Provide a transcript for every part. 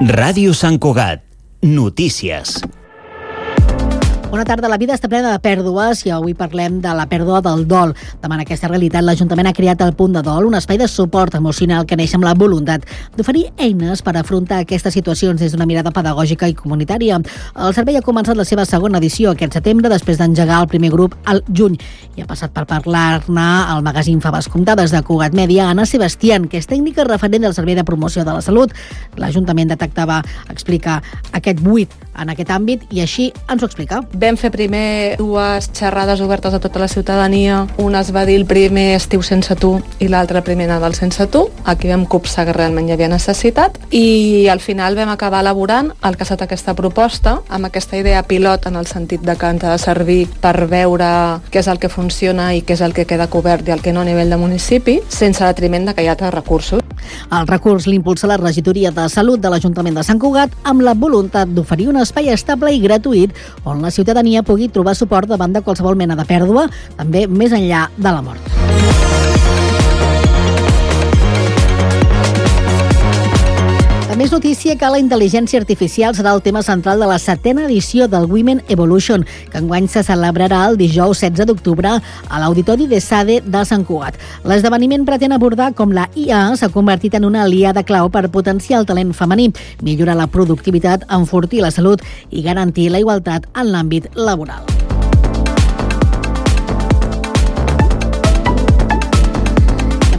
Ràdio Sant Cugat. Notícies. Bona tarda. La vida està plena de pèrdues i avui parlem de la pèrdua del dol. Davant aquesta realitat, l'Ajuntament ha creat el Punt de Dol, un espai de suport emocional que neix amb la voluntat d'oferir eines per afrontar aquestes situacions des d'una mirada pedagògica i comunitària. El servei ha començat la seva segona edició aquest setembre, després d'engegar el primer grup al juny, i ha passat per parlar-ne al magazín Faves Comptades de Cugat Mèdia, Anna Sebastián, que és tècnica referent del Servei de Promoció de la Salut. L'Ajuntament detectava, explica, aquest buit en aquest àmbit i així ens ho explica. Vam fer primer dues xerrades obertes a tota la ciutadania. Una es va dir el primer estiu sense tu i l'altra primer Nadal sense tu. Aquí vam copsar que realment hi havia necessitat i al final vam acabar elaborant el que ha estat aquesta proposta amb aquesta idea pilot en el sentit de que ens ha de servir per veure què és el que funciona i què és el que queda cobert i el que no a nivell de municipi, sense detriment de que hi ha altres recursos. El recurs l'impulsa la Regidoria de Salut de l'Ajuntament de Sant Cugat amb la voluntat d'oferir un espai estable i gratuït on la ciutadania pugui trobar suport davant de qualsevol mena de pèrdua, també més enllà de la mort. Més notícia que la intel·ligència artificial serà el tema central de la 7ª edició del Women Evolution, que enguany se celebrarà el dijous 16 d'octubre a l'Auditori de SADE de Sant Cugat. L'esdeveniment pretén abordar com la IA s'ha convertit en una aliada clau per potenciar el talent femení, millorar la productivitat, enfortir la salut i garantir la igualtat en l'àmbit laboral.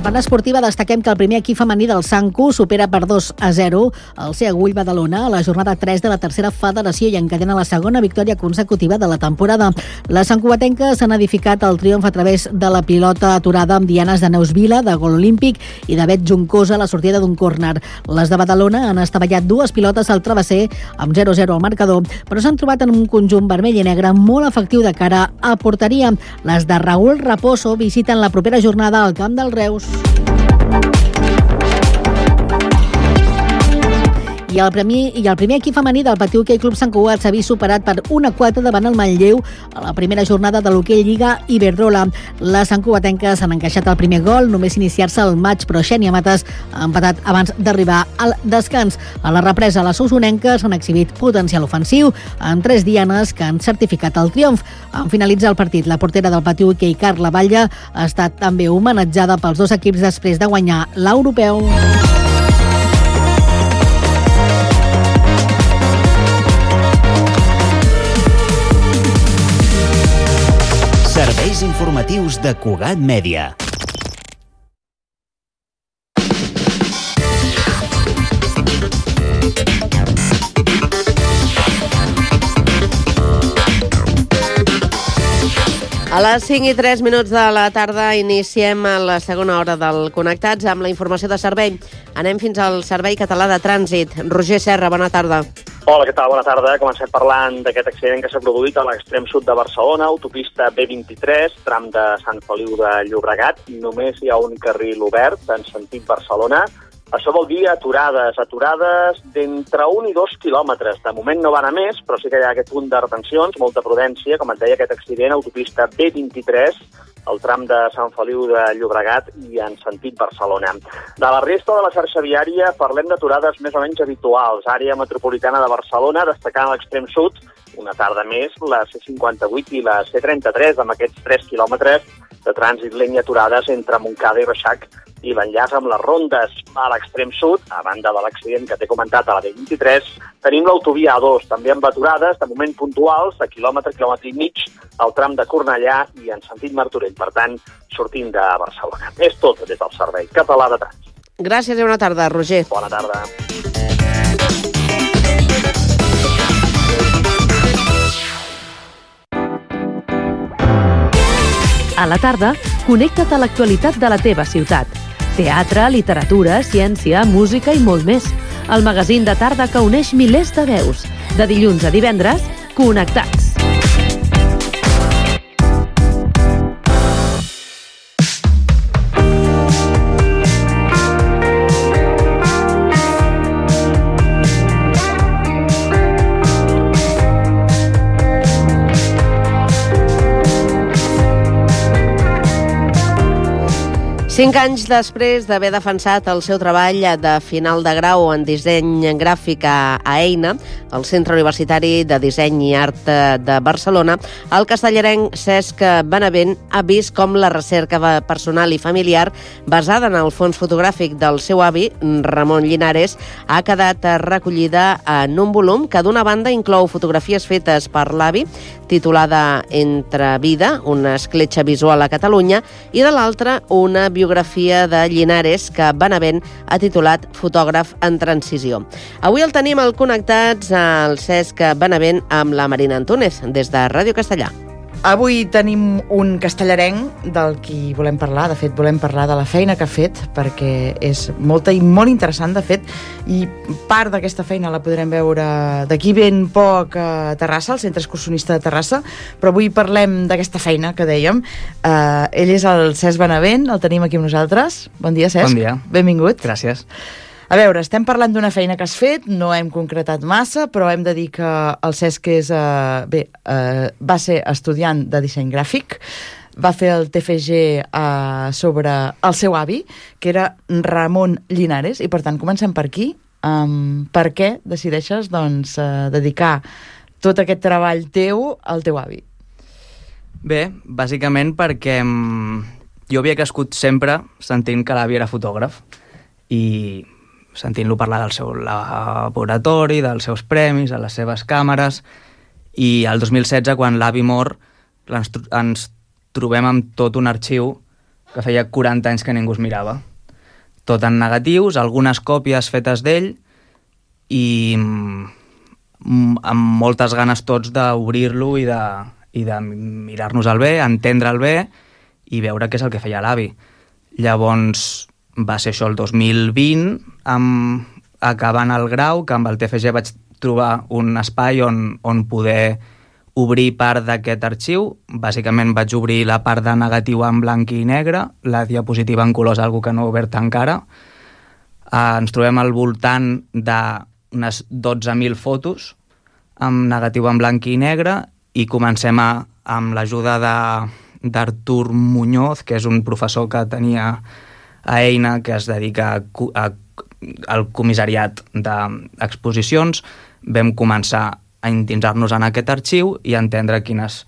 En esportiva destaquem que el primer equip femení del Sancu supera per 2-0 el Seagull Badalona a la jornada 3 de la tercera federació i encadena la segona victòria consecutiva de la temporada. Les santcugatenques han edificat el triomf a través de la pilota aturada amb dianes de Neus Vila, de gol olímpic, i de Bet Juncosa a la sortida d'un córner. Les de Badalona han estavellat dues pilotes al travesser amb 0-0 al marcador, però s'han trobat en un conjunt vermell i negre molt efectiu de cara a porteria. Les de Raúl Raposo visiten la propera jornada al Camp del Reus. I el primer equip femení del Patí Hoquei Club Sant Cugat s'ha vist superat per 1-4 davant el Manlleu a la primera jornada de l'Hoquei Lliga Iberdrola. Les santcugatenques han encaixat el primer gol només iniciar-se el maig, però Xènia Mates ha empatat abans d'arribar al descans. A la represa, les usonenques han exhibit potencial ofensiu en 3 dianes que han certificat el triomf. En finalitzar el partit, la portera del Patí Hoquei, Carla Batlle, ha estat també homenatjada pels dos equips després de guanyar l'europeu. Serveis informatius de Cugat Mèdia. A les 5:03 de la tarda iniciem la segona hora del Connectats amb la informació de servei. Anem fins al Servei Català de Trànsit. Roger Serra, bona tarda. Hola, què tal? Bona tarda. Comencem parlant d'aquest accident que s'ha produït a l'extrem sud de Barcelona, autopista B23, tram de Sant Feliu de Llobregat. Només hi ha un carril obert en sentit Barcelona. Això vol dir aturades d'entre 1 i 2 quilòmetres. De moment no van a més, però sí que hi ha aquest punt de retencions, molta prudència, com et deia, aquest accident, autopista B23, el tram de Sant Feliu de Llobregat i en sentit Barcelona. De la resta de la xarxa viària parlem d'aturades més o menys habituals. Àrea metropolitana de Barcelona, destacant a l'extrem sud, una tarda més, la C58 i la C33, amb aquests 3 quilòmetres de trànsit lent i aturades entre Montcada i Reixac i l'enllaç amb les rondes. A l'extrem sud, a banda de l'accident que t'he comentat a la B23, tenim l'autovia A2, també amb aturades, de moment puntuals, de quilòmetre i mig, al tram de Cornellà i en sentit Martorell, per tant, sortint de Barcelona. És tot des del Servei Català de Trànsit. Gràcies i bona tarda, Roger. Bona tarda. A la tarda, connecta't a l'actualitat de la teva ciutat. Teatre, literatura, ciència, música i molt més. El magazín de tarda que uneix milers de veus. De dilluns a divendres, Connectats. 5 anys després d'haver defensat el seu treball de final de grau en disseny gràfic a EINA, el Centre Universitari de Disseny i Art de Barcelona, el castellarenc Cesc Benavent ha vist com la recerca personal i familiar basada en el fons fotogràfic del seu avi, Ramon Llinares, ha quedat recollida en un volum que d'una banda inclou fotografies fetes per l'avi, titulada Entre vida, una escletxa visual a Catalunya, i de l'altra una biografia de Llinares que Benavent ha titulat Fotògraf en transició. Avui el tenim al Connectats al Cesc Benavent amb la Marina Antúnez, des de Ràdio Castellà. Avui tenim un castellarenc del qui volem parlar. De fet, volem parlar de la feina que ha fet, perquè és molta i molt interessant, de fet, i part d'aquesta feina la podrem veure d'aquí ben poc a Terrassa, al Centre Excursionista de Terrassa, però avui parlem d'aquesta feina que dèiem. Ell és el Cesc Benavent, el tenim aquí amb nosaltres. Bon dia, Cesc. Bon dia. Benvingut. Gràcies. A veure, estem parlant d'una feina que has fet, no hem concretat massa, però hem de dir que el Cesc va ser estudiant de disseny gràfic, va fer el TFG sobre el seu avi, que era Ramon Llinares, i per tant comencem per aquí. Per què decideixes dedicar tot aquest treball teu al teu avi? Bé, bàsicament perquè jo havia crescut sempre sentint que l'avi era fotògraf i sentint-lo parlar del seu laboratori, dels seus premis, de les seves càmeres, i el 2016, quan l'avi mor, ens trobem amb tot un arxiu que feia 40 anys que ningú es mirava. Tot en negatius, algunes còpies fetes d'ell, i amb moltes ganes tots d'obrir-lo i de mirar-nos-el bé, entendre'l bé i veure què és el que feia l'avi. Llavors va ser això el 2020, acabant el grau, que amb el TFG vaig trobar un espai on poder obrir part d'aquest arxiu. Bàsicament vaig obrir la part de negatiu en blanc i negre, la diapositiva en colors, algo que no he obert encara. Ens trobem al voltant d'unes 12.000 fotos amb negatiu en blanc i negre i comencem amb l'ajuda d'Artur Muñoz, que és un professor que tenia a EINA, que es dedica al comissariat d'exposicions. Vam començar a endinsar-nos en aquest arxiu i entendre quines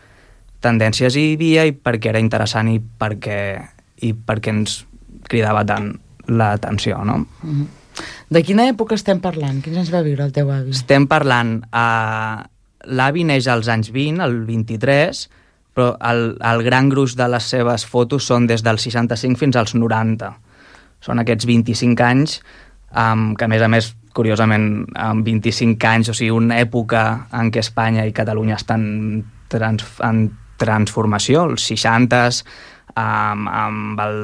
tendències hi havia i per què era interessant i per què ens cridava tant l'atenció, no? De quina època estem parlant? Quins anys va viure el teu avi? Estem parlant... L'avi neix als anys 20, el 23, però el gran gruix de les seves fotos són des dels 65 fins als 90. Són aquests 25 anys, que a més, curiosament, amb 25 anys, o sigui, una època en què Espanya i Catalunya estan en transformació, els 60s, amb el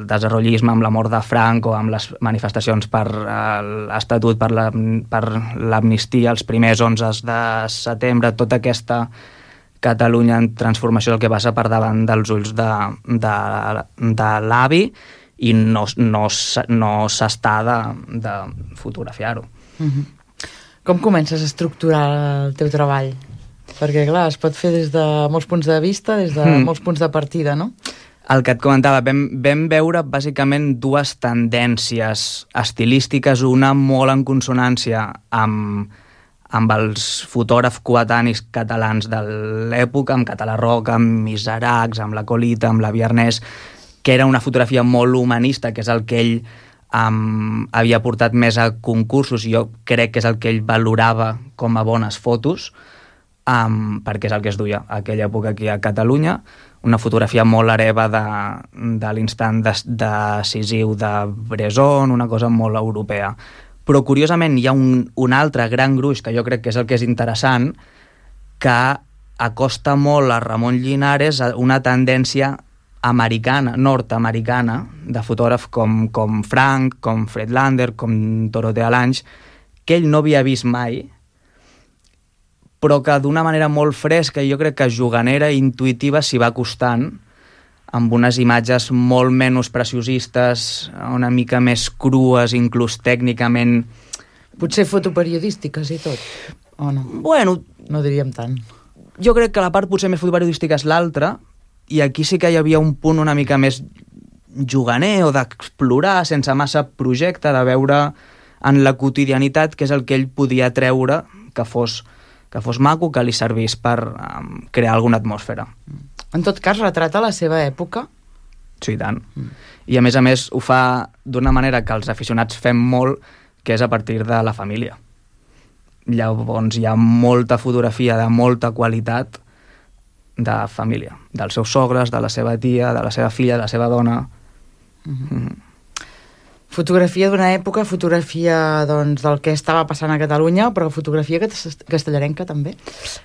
desenvolupisme, amb la mort de Franco, amb les manifestacions per l'Estatut, per l'amnistia, els primers 11 de setembre, tota aquesta Catalunya en transformació, el que passa per davant dels ulls de l'avi i no s'està de fotografiar-ho. Com comences a estructurar el teu treball? Perquè, clar, es pot fer des de molts punts de vista, des de molts punts de partida, no? El que et comentava, vam veure bàsicament dues tendències estilístiques, una molt en consonància amb els fotògrafs coetanis catalans de l'època, amb Català Roca, amb Miseracs, amb la Colita, amb la Viernès, que era una fotografia molt humanista, que és el que ell havia portat més a concursos i jo crec que és el que ell valorava com a bones fotos, perquè és el que es duia a aquella època aquí a Catalunya, una fotografia molt hereva de l'instant decisiu de Bresson, una cosa molt europea. Però, curiosament, hi ha un altre gran gruix, que jo crec que és el que és interessant, que acosta molt a Ramon Llinares a una tendència americana, nord-americana, de fotògraf com Frank, com Fred Lander, com Dorothea Lange, que ell no havia vist mai, però que d'una manera molt fresca i jo crec que juganera i intuïtiva s'hi va acostant, amb unes imatges molt menys preciosistes, una mica més crues, inclús tècnicament... Potser fotoperiodístiques i tot, o no? Bueno... No diríem tant. Jo crec que la part potser més fotoperiodística és l'altra, i aquí sí que hi havia un punt una mica més juganer o d'explorar sense massa projecte, de veure en la quotidianitat que és el que ell podia treure que fos maco, que li servís per crear alguna atmosfera. En tot cas, retrata la seva època? Sí, i tant. I a més ho fa d'una manera que els aficionats fem molt, que és a partir de la família. Llavors hi ha molta fotografia de molta qualitat de família, dels seus sogres, de la seva tia, de la seva filla, de la seva dona. Fotografia d'una època, fotografia doncs, del que estava passant a Catalunya, però fotografia castellarenca també.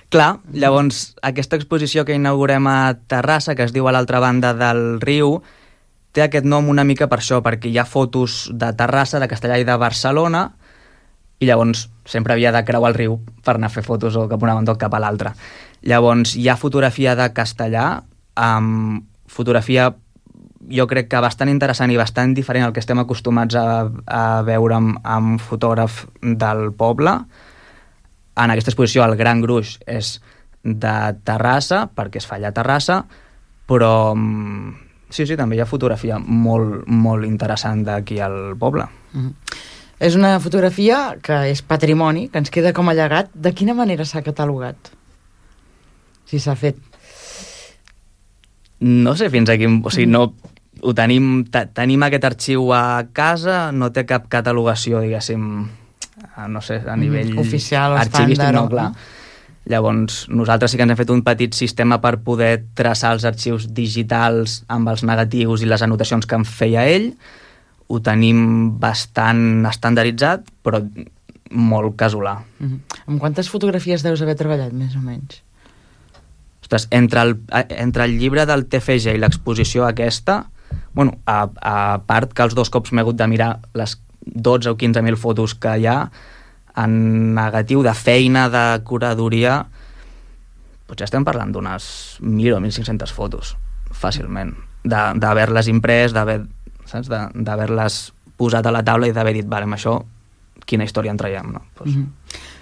Clar, llavors aquesta exposició que inaugurem a Terrassa, que es diu A l'altra banda del riu, té aquest nom una mica per això, perquè hi ha fotos de Terrassa, de Castellà i de Barcelona, i llavors sempre havia de creuar el riu per anar a fer fotos o cap a una banda o cap a l'altra. Llavors hi ha fotografia de Castellà, fotografia jo crec que bastant interessant i bastant diferent al que estem acostumats a veure amb fotògraf del poble. En aquesta exposició el gran gruix és de Terrassa, perquè es fa allà a Terrassa, però sí, també hi ha fotografia molt, molt interessant d'aquí al poble. És una fotografia que és patrimoni, que ens queda com a llegat. De quina manera s'ha catalogat? Si s'ha fet. No sé fins a quin... O sigui, no... Ho tenim aquest arxiu a casa, no té cap catalogació, diguéssim, no sé, a nivell oficial o arxivístic, estàndard. no, clar. Llavors, nosaltres sí que ens hem fet un petit sistema per poder traçar els arxius digitals amb els negatius i les anotacions que en feia ell. Ho tenim bastant estandarditzat, però molt casolà. Amb quantes fotografies deus haver treballat, més o menys? Ostres, entre el llibre del TFG i l'exposició aquesta, bueno, a part que els 2 cops m'he hagut de mirar les 12 o 15.000 fotos que hi ha, en negatiu de feina, de curadoria, potser estem parlant d'unes 1.000 o 1.500 fotos, fàcilment, d'haver-les imprès, d'haver-les posat a la taula i d'haver dit, vale, amb això, quina història en traiem, no?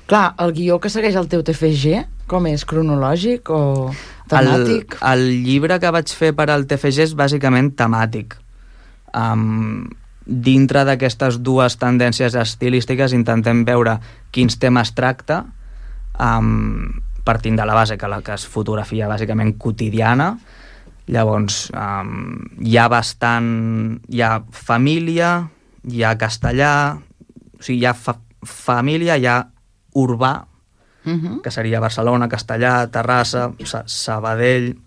Clar, el guió que segueix el teu TFG, com és? Cronològic o temàtic? El llibre que vaig fer per al TFG és bàsicament temàtic. Dintre d'aquestes dues tendències estilístiques intentem veure quins temes tracta, partint de la base que es fotografia bàsicament quotidiana. Llavors hi ha família, hi ha castellà, o sigui, hi ha família, hi ha urbà, que seria Barcelona, Castellà, Terrassa, Sabadell,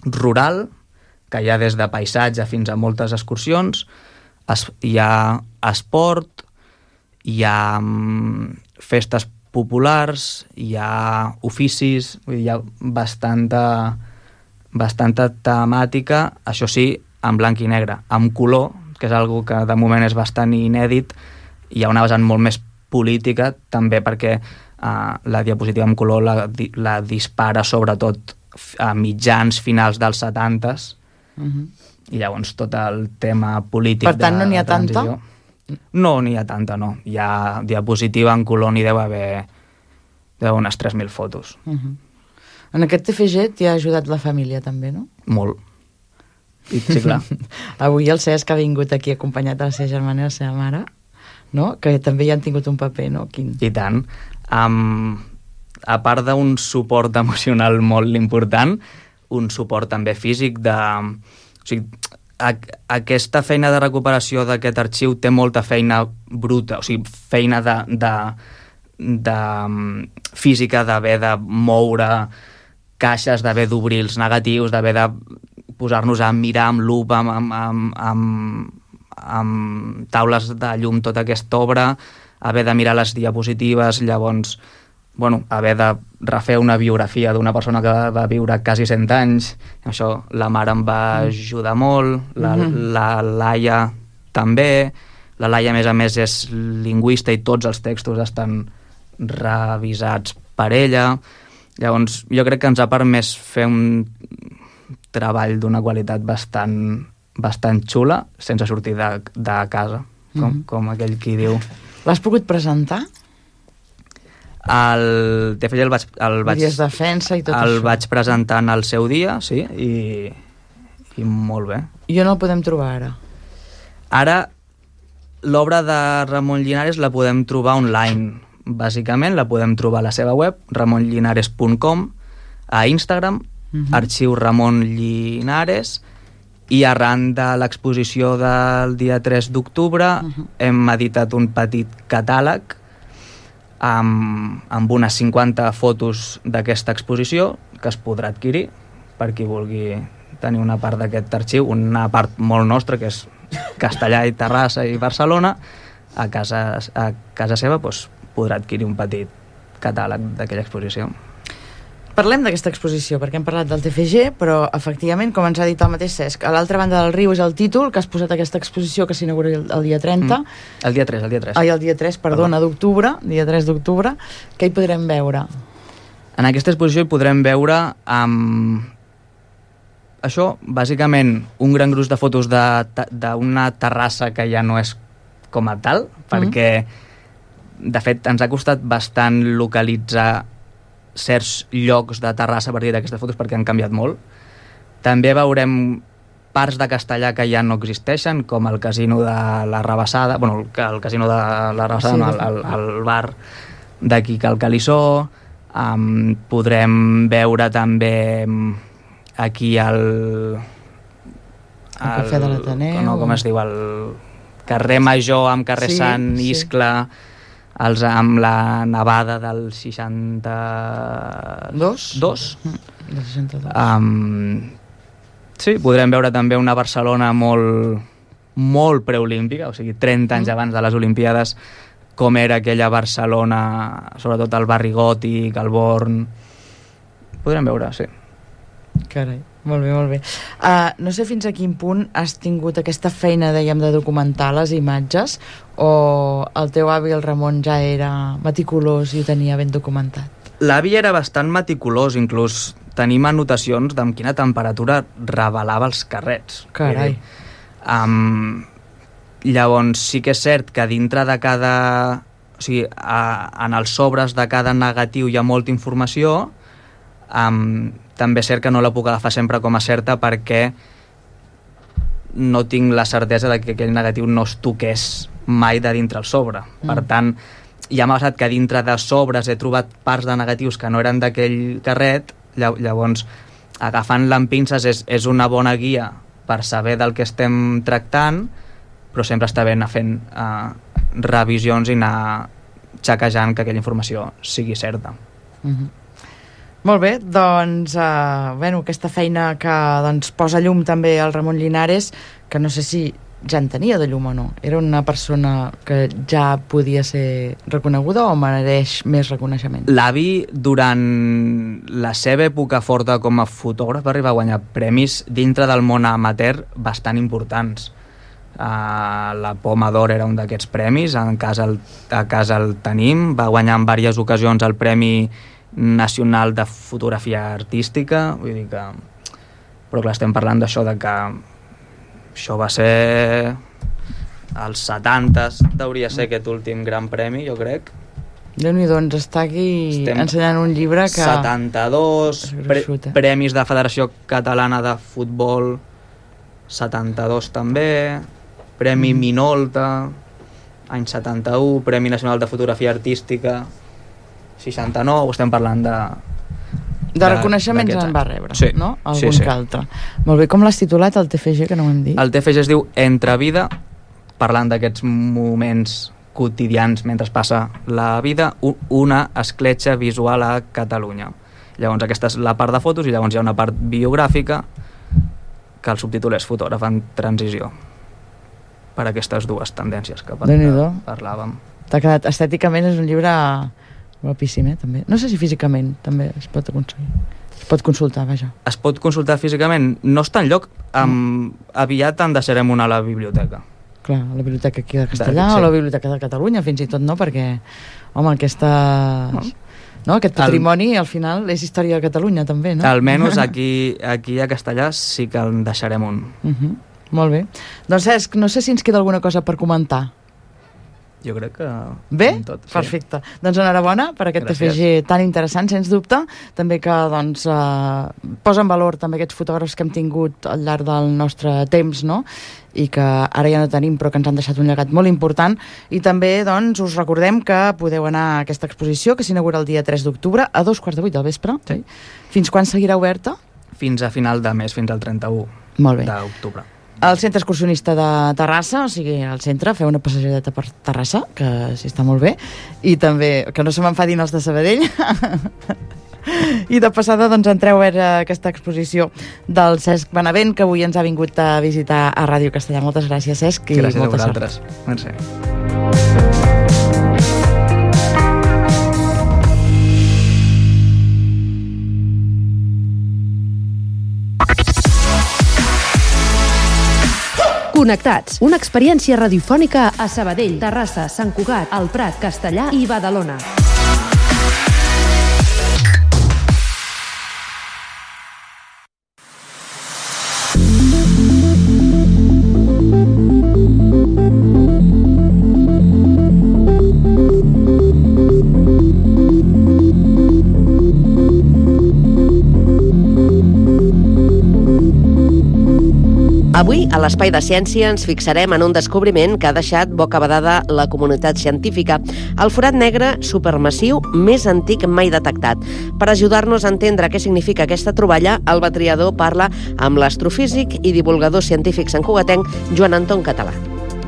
rural, que hi ha des de paisatge fins a moltes excursions, hi ha esport, hi ha festes populars, hi ha oficis, hi ha bastanta temàtica, això sí, en blanc i negre. Amb color, que és algo que de moment és bastant inèdit, hi ha una vessant molt més política, també perquè la diapositiva en color la dispara sobretot a mitjans finals dels 70s, i llavors tot el tema polític. Per tant, no n'hi ha tanta? No n'hi ha tanta, no. Hi ha diapositiva en color, n'hi deu haver unes 3.000 fotos. En aquest TFG t'hi ha ajudat la família també, no? Molt. Sí, clar. Avui el Cesc ha vingut aquí acompanyat de la seva germana i la seva mare, no? Que també hi han tingut un paper, no? Quin? I tant. A part d'un suport emocional molt important, un suport també físic de... O sigui, aquesta feina de recuperació d'aquest arxiu té molta feina bruta, o sigui, feina de física, d'haver de moure caixes, d'haver d'obrir els negatius, d'haver de posar-nos a mirar amb lupa, amb taules de llum tota aquesta obra, haver de mirar les diapositives, llavors haver de refer una biografia d'una persona que va viure quasi 100 anys. Això la mare em va ajudar molt, la Laia també. La Laia, a més, és lingüista i tots els textos estan revisats per ella. Llavors, jo crec que ens ha permès fer un treball d'una qualitat bastant xula, sense sortir de casa, com aquell qui diu. L'has pogut presentar? El TFG el vaig defensa i tot el això. vaig presentar en el seu dia, sí, i molt bé. I on el podem trobar ara? Ara, l'obra de Ramon Llinares la podem trobar online. Bàsicament, la podem trobar a la seva web, ramonllinares.com, a Instagram, arxiu Ramon Llinares, i arran de l'exposició del dia 3 d'octubre hem editat un petit catàleg amb unes 50 fotos d'aquesta exposició que es podrà adquirir per qui vulgui tenir una part d'aquest arxiu, una part molt nostra, que és Castellà i Terrassa i Barcelona. A casa seva doncs, podrà adquirir un petit catàleg d'aquella exposició. Parlem d'aquesta exposició, perquè hem parlat del TFG, però efectivament, com ens ha dit el mateix Cesc, a l'altra banda del riu és el títol que has posat aquesta exposició que s'inaugura el dia 30. El dia 3. Ai, el dia 3, perdona, d'octubre, dia 3 d'octubre. Què hi podrem veure? En aquesta exposició hi podrem veure això, bàsicament, un gran gruix de fotos d'una terrassa que ja no és com a tal, perquè, de fet, ens ha costat bastant localitzar certs llocs de Terrassa a partir d'aquestes fotos perquè han canviat molt. També veurem parts de Castellà que ja no existeixen, com el casino de la Rabassada, bueno, el casino de la Rabassada, sí, el bar d'aquí Cal Calissó. Podrem veure també aquí el Cafè de l'Ateneu. No, com es diu? El carrer Major amb carrer Sant Iscle, amb la nevada del 62. Sí, podrem veure també una Barcelona molt preolímpica, o sigui, 30 anys abans de les Olimpiades, com era aquella Barcelona, sobretot el barri gòtic, el Born. Podrem veure, sí. Carai, molt bé, molt bé. No sé fins a quin punt has tingut aquesta feina, dèiem, de documentar les imatges, o el teu avi, el Ramon, ja era meticulós i ho tenia ben documentat? L'avi era bastant meticulós, inclús tenim anotacions d'amb quina temperatura revelava els carrets. Carai. Llavors sí que és cert que dintre de cada... O sigui, en els sobres de cada negatiu hi ha molta informació. També és cert que no la puc agafar sempre com a certa perquè no tinc la certesa de que aquell negatiu no es toqués mai de dintre el sobre. Per tant, ja m'ha passat que dintre de sobres he trobat parts de negatius que no eren d'aquell carret. Llavors, agafant-la amb pinces és una bona guia per saber del que estem tractant, però sempre està bé anar fent revisions i anar xequejant que aquella informació sigui certa. Molt bé, doncs, aquesta feina que posa llum també al Ramon Llinares, que no sé si ja en tenia de llum o no. Era una persona que ja podia ser reconeguda o mereix més reconeixement? L'avi, durant la seva època forta com a fotògraf, va arribar a guanyar premis dintre del món amateur bastant importants. La Poma d'Or era un d'aquests premis, a casa el tenim, va guanyar en diverses ocasions el Premi Nacional de Fotografia Artística, vull dir que... Però clar, estem parlant d'això, de que això va ser als 70s, hauria ser aquest últim gran premi, jo crec. Déu-n'hi-do, ens està aquí ensenyant un llibre que... 72, premis de Federació Catalana de Futbol, 72 també, Premi Minolta, any 71, Premi Nacional de Fotografia Artística, 69, estem parlant de reconeixements en va rebre, sí, no? Algun que altre. Molt bé, com l'has titulat, el TFG, que no ho hem dit? El TFG es diu Entre vida, parlant d'aquests moments quotidians mentre passa la vida, una escletxa visual a Catalunya. Llavors aquesta és la part de fotos i llavors hi ha una part biogràfica que el subtítol és Fotògraf en transició, per aquestes dues tendències que parlàvem. T'ha quedat, estèticament és un llibre guapíssim, també. No sé si físicament també es pot aconseguir. Es pot consultar, vaja. Es pot consultar físicament? No està enlloc. Aviat en deixarem una a la biblioteca. Clar, a la biblioteca aquí de Castellà o a la biblioteca de Catalunya, fins i tot, no? Perquè, home, aquest patrimoni, al final, és història de Catalunya, també, no? Almenys aquí a Castellà sí que en deixarem un. Molt bé. Doncs, Cesc, no sé si ens queda alguna cosa per comentar. Jo crec que... Bé? Tot, sí. Perfecte. Doncs enhorabona per aquest TFG tan interessant, sens dubte. També que doncs, posa en valor també aquests fotògrafs que hem tingut al llarg del nostre temps, no? I que ara ja no tenim, però que ens han deixat un llegat molt important. I també doncs, us recordem que podeu anar a aquesta exposició, que s'inaugura el dia 3 d'octubre, a 2:15 del vespre. Sí. Fins quan seguirà oberta? Fins a final de mes, fins al 31 d'octubre. Al centre excursionista de Terrassa, o sigui, al centre, feu una passejadeta per Terrassa, que sí està molt bé, i també, que no se m'enfadin els de Sabadell, i de passada doncs entreu a veure aquesta exposició del Cesc Benavent, que avui ens ha vingut a visitar a Ràdio Castellà. Moltes gràcies, Cesc, i gràcies molta a vosaltres. sort. Merci. Connectats, una experiència radiofònica a Sabadell, Terrassa, Sant Cugat, El Prat, Castellar i Badalona. Avui, a l'Espai de Ciència, ens fixarem en un descobriment que ha deixat bocabadada la comunitat científica, el forat negre supermassiu més antic mai detectat. Per ajudar-nos a entendre què significa aquesta troballa, el Batriador parla amb l'astrofísic i divulgador científic santcugatenc Joan Anton Català.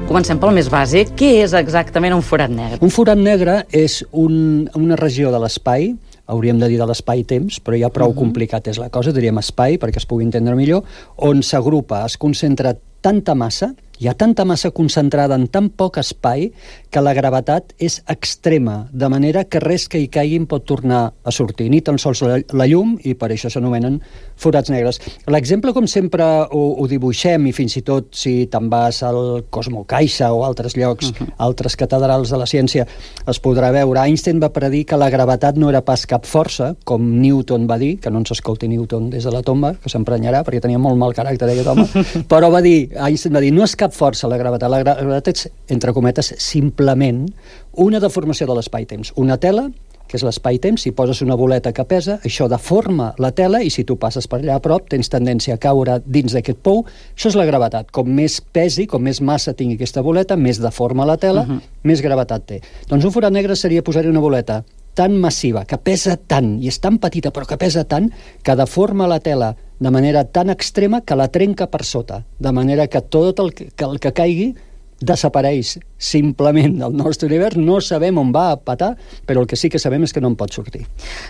Comencem pel més bàsic. Què és exactament un forat negre? Un forat negre és una regió de l'espai, hauríem de dir de l'espai-temps, però ja prou complicat és la cosa, diríem espai, perquè es pugui entendre millor, on s'agrupa, es concentra tanta massa, hi ha tanta massa concentrada en tan poc espai que la gravetat és extrema, de manera que res que hi caigui pot tornar a sortir, ni tan sols la llum, i per això s'anomenen forats negres. L'exemple, com sempre, ho dibuixem, i fins i tot si te'n vas al Cosmo Caixa o altres llocs, altres catedrals de la ciència, es podrà veure. Einstein va predir que la gravetat no era pas cap força, com Newton va dir, que no ens escolti Newton des de la tomba, que s'emprenyarà, perquè tenia molt mal caràcter aquest home, però Einstein va dir, no és cap força la gravetat és, entre cometes, simplement una deformació de l'espai-temps. Una tela, que és l'espai-temps, si poses una boleta que pesa, això deforma la tela i si tu passes per allà a prop tens tendència a caure dins d'aquest pou. Això és la gravetat. Com més pesi, com més massa tingui aquesta boleta, més deforma la tela, més gravetat té. Doncs un forat negre seria posar-hi una boleta tan massiva, que pesa tant, i és tan petita però que pesa tant, que deforma la tela de manera tan extrema que la trenca per sota, de manera que tot el que caigui desapareix simplement del nostre univers. No sabem on va a patar, però el que sí que sabem és que no en pot sortir.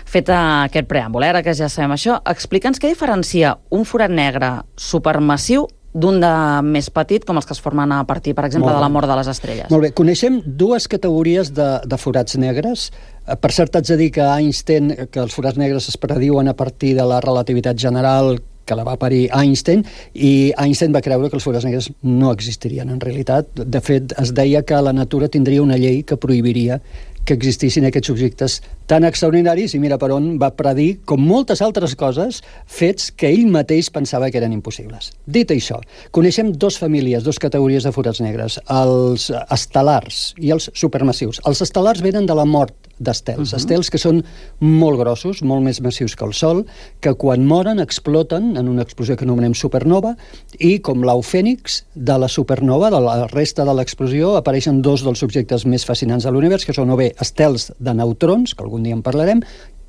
Fet aquest preàmbul, ara que ja sabem això, explica'ns què diferencia un forat negre supermassiu d'un de més petit, com els que es formen a partir, per exemple, de la mort de les estrelles. Molt bé, coneixem dues categories de forats negres. Per cert, haig de dir que Einstein, que els forats negres es prediuen a partir de la relativitat general que la va parir Einstein, i Einstein va creure que els forats negres no existirien en realitat. De fet, es deia que la natura tindria una llei que prohibiria que existissin aquests objectes tan extraordinaris, i mira per on va predir, com moltes altres coses, fets que ell mateix pensava que eren impossibles. Dit això, coneixem dues famílies, dues categories de forats negres, els estel·lars i els supermassius. Els estel·lars venen de la mort d'estels, estels que són molt grossos, molt més massius que el Sol, que quan moren exploten en una explosió que anomenem supernova, i com l'au fènix de la supernova, de la resta de l'explosió, apareixen dos dels objectes més fascinants de l'univers, que són o bé estels de neutrons, que algun dia en parlarem,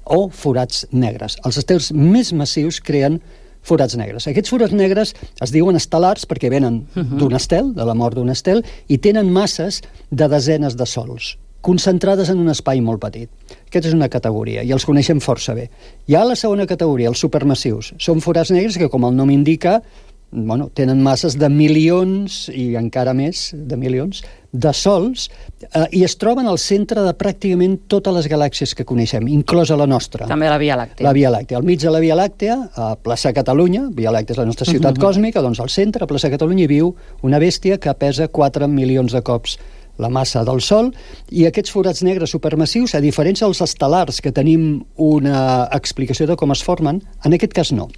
o forats negres. Els estels més massius creen forats negres. Aquests forats negres es diuen estel·lars perquè venen d'un estel, de la mort d'un estel, i tenen masses de desenes de sols, concentrades en un espai molt petit. Aquesta és una categoria, i els coneixem força bé. Hi ha la segona categoria, els supermassius. Són forats negres que, com el nom indica, tenen masses de milions, i encara més de milions, de sols, i es troben al centre de pràcticament totes les galàxies que coneixem, inclosa la nostra. També la Via Làctea. La Via Làctea. Al mig de la Via Làctea, a plaça Catalunya, Via Làctea és la nostra ciutat còsmica, doncs al centre, a plaça Catalunya, hi viu una bèstia que pesa 4 milions de cops la massa del Sol, i aquests forats negres supermassius, a diferència dels estel·lars, que tenim una explicació de com es formen, en aquest cas no.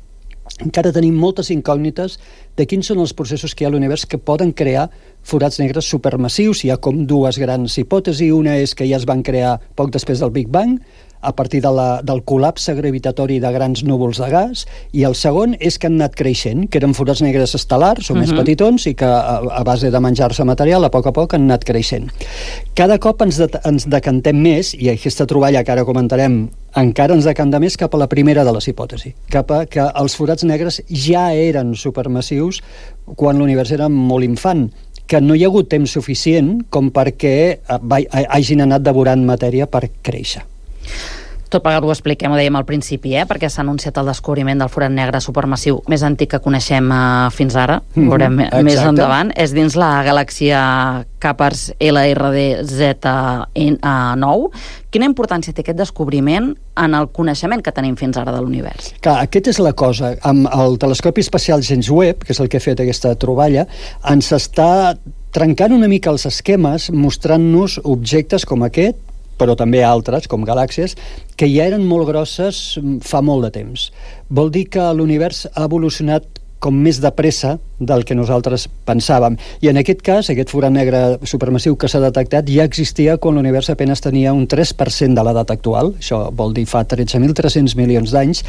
encara tenim moltes incògnites de quins són els processos que hi ha a l'univers que poden crear forats negres supermassius. Hi ha com dues grans hipòtesis. Una és que ja es van crear poc després del Big Bang, a partir del col·lapse gravitatori de grans núvols de gas, i el segon és que han anat creixent, que eren forats negres estel·lars o més petitons i que a base de menjar-se material a poc han anat creixent. Cada cop ens decantem més, i aquesta troballa que ara comentarem encara ens decanta més cap a la primera de les hipòtesis, cap a que els forats negres ja eren supermassius quan l'univers era molt infant, que no hi ha hagut temps suficient com perquè hagin anat devorant matèria per créixer. Tot plegat ho expliquem, ho dèiem al principi, perquè s'ha anunciat el descobriment del forat negre supermassiu més antic que coneixem fins ara, ho veurem més endavant. És dins la galàxia Capers LRD Z9. Quina importància té aquest descobriment en el coneixement que tenim fins ara de l'univers? Clar, aquesta és la cosa. Amb el telescopi espacial James Webb, que és el que ha fet aquesta troballa, ens està trencant una mica els esquemes, mostrant-nos objectes com aquest, però també altres, com galàxies, que ja eren molt grosses fa molt de temps. Vol dir que l'univers ha evolucionat com més de pressa del que nosaltres pensàvem. I en aquest cas, aquest forat negre supermassiu que s'ha detectat ja existia quan l'univers apenas tenia un 3% de l'edat actual, això vol dir fa 13.300 milions d'anys,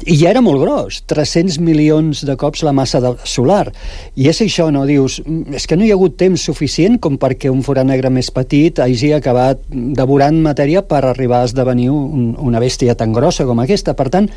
i ja era molt gros, 300 milions de cops la massa solar. I és això, no? Dius, és que no hi ha hagut temps suficient com perquè un forat negre més petit hagi acabat devorant matèria per arribar a esdevenir una bèstia tan grossa com aquesta. Per tant,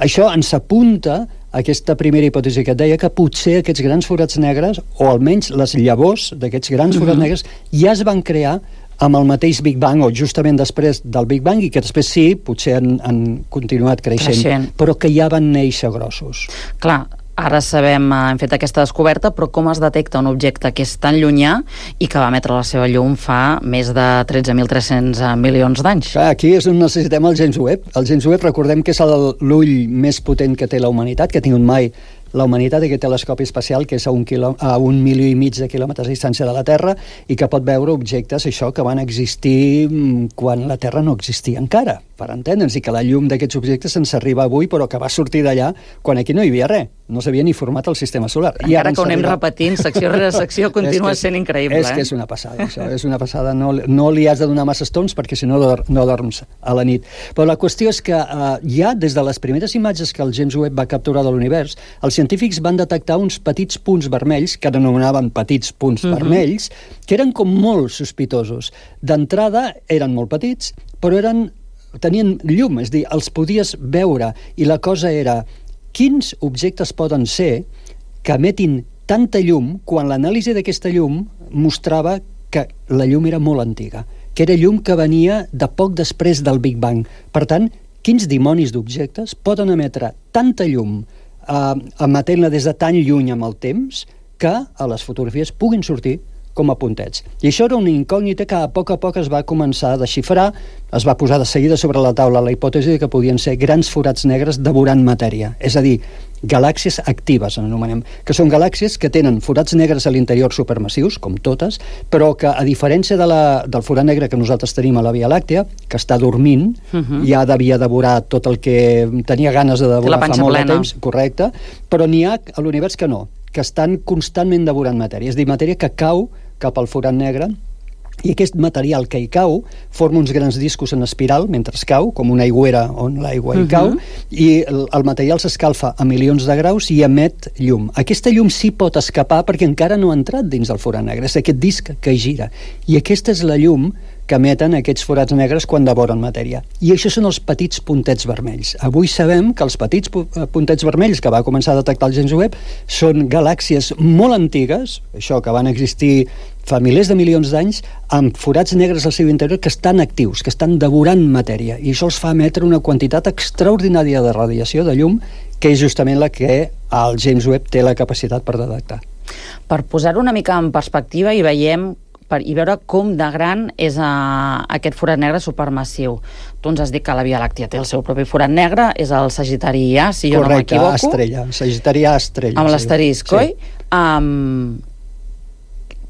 això ens apunta aquesta primera hipòtesi que et deia, que potser aquests grans forats negres, o almenys les llavors d'aquests grans forats negres, ja es van crear amb el mateix Big Bang, o justament després del Big Bang, i que després sí, potser han continuat creixent, però que ja van néixer grossos. Clar, ara sabem, hem fet aquesta descoberta, però com es detecta un objecte que és tan llunyà i que va emetre la seva llum fa més de 13.300 milions d'anys? Aquí és on necessitem el James Webb. El James Webb, recordem que és l'ull més potent que té la humanitat, que ha tingut mai la humanitat, aquest telescopi espacial que és a 1,5 milió de quilòmetres de distància de la Terra i que pot veure objectes, això, que van existir quan la Terra no existia encara, per entendre'ns, i que la llum d'aquests objectes ens arriba avui, però que va sortir d'allà quan aquí no hi havia res, no s'havia ni format el sistema solar. Encara que ho anem repetint, secció rere secció, continua sent increïble. És que és una passada, això, és una passada. No li has de donar massa estons perquè si no dorms a la nit. Però la qüestió és que ja des de les primeres imatges que el James Webb va capturar de l'univers, els científics van detectar uns petits punts vermells, que anomenaven petits punts vermells, que eren com molt sospitosos. D'entrada eren molt petits, però tenien llum, és a dir, els podies veure, i la cosa era quins objectes poden ser que emetin tanta llum quan l'anàlisi d'aquesta llum mostrava que la llum era molt antiga, que era llum que venia de poc després del Big Bang. Per tant, quins dimonis d'objectes poden emetre tanta llum emetent-la des de tan lluny amb el temps que a les fotografies puguin sortir com a puntets. I això era una incògnita que a poc es va començar a desxifrar, es va posar de seguida sobre la taula la hipòtesi que podien ser grans forats negres devorant matèria, és a dir, galàxies actives, anomenem, que són galàxies que tenen forats negres a l'interior supermassius, com totes, però que, a diferència del forat negre que nosaltres tenim a la Via Làctea, que està dormint, ja devia devorar tot el que tenia ganes de devorar fa molt de temps, correcte, però n'hi ha a l'univers que no, que estan constantment devorant matèria, és a dir, matèria que cau cap al forat negre, i aquest material que hi cau forma uns grans discos en espiral mentre es cau, com una aigüera on l'aigua hi cau, i el material s'escalfa a milions de graus i emet llum. Aquesta llum sí pot escapar perquè encara no ha entrat dins del forat negre, és aquest disc que gira, i aquesta és la llum que emeten aquests forats negres quan devoren matèria. I això són els petits puntets vermells. Avui sabem que els petits puntets vermells que va començar a detectar el James Webb són galàxies molt antigues, això que van existir fa milers de milions d'anys, amb forats negres al seu interior que estan actius, que estan devorant matèria, i això els fa emetre una quantitat extraordinària de radiació, de llum, que és justament la que el James Webb té la capacitat per detectar. Per posar-ho una mica en perspectiva i veure com de gran és aquest forat negre supermassiu. Tu ens has dit que la Via Làctea té el seu propi forat negre, és el Sagitari A, si jo no m'equivoco. Correcte, estrella, Sagitari A estrella. Amb l'asterisc, oi?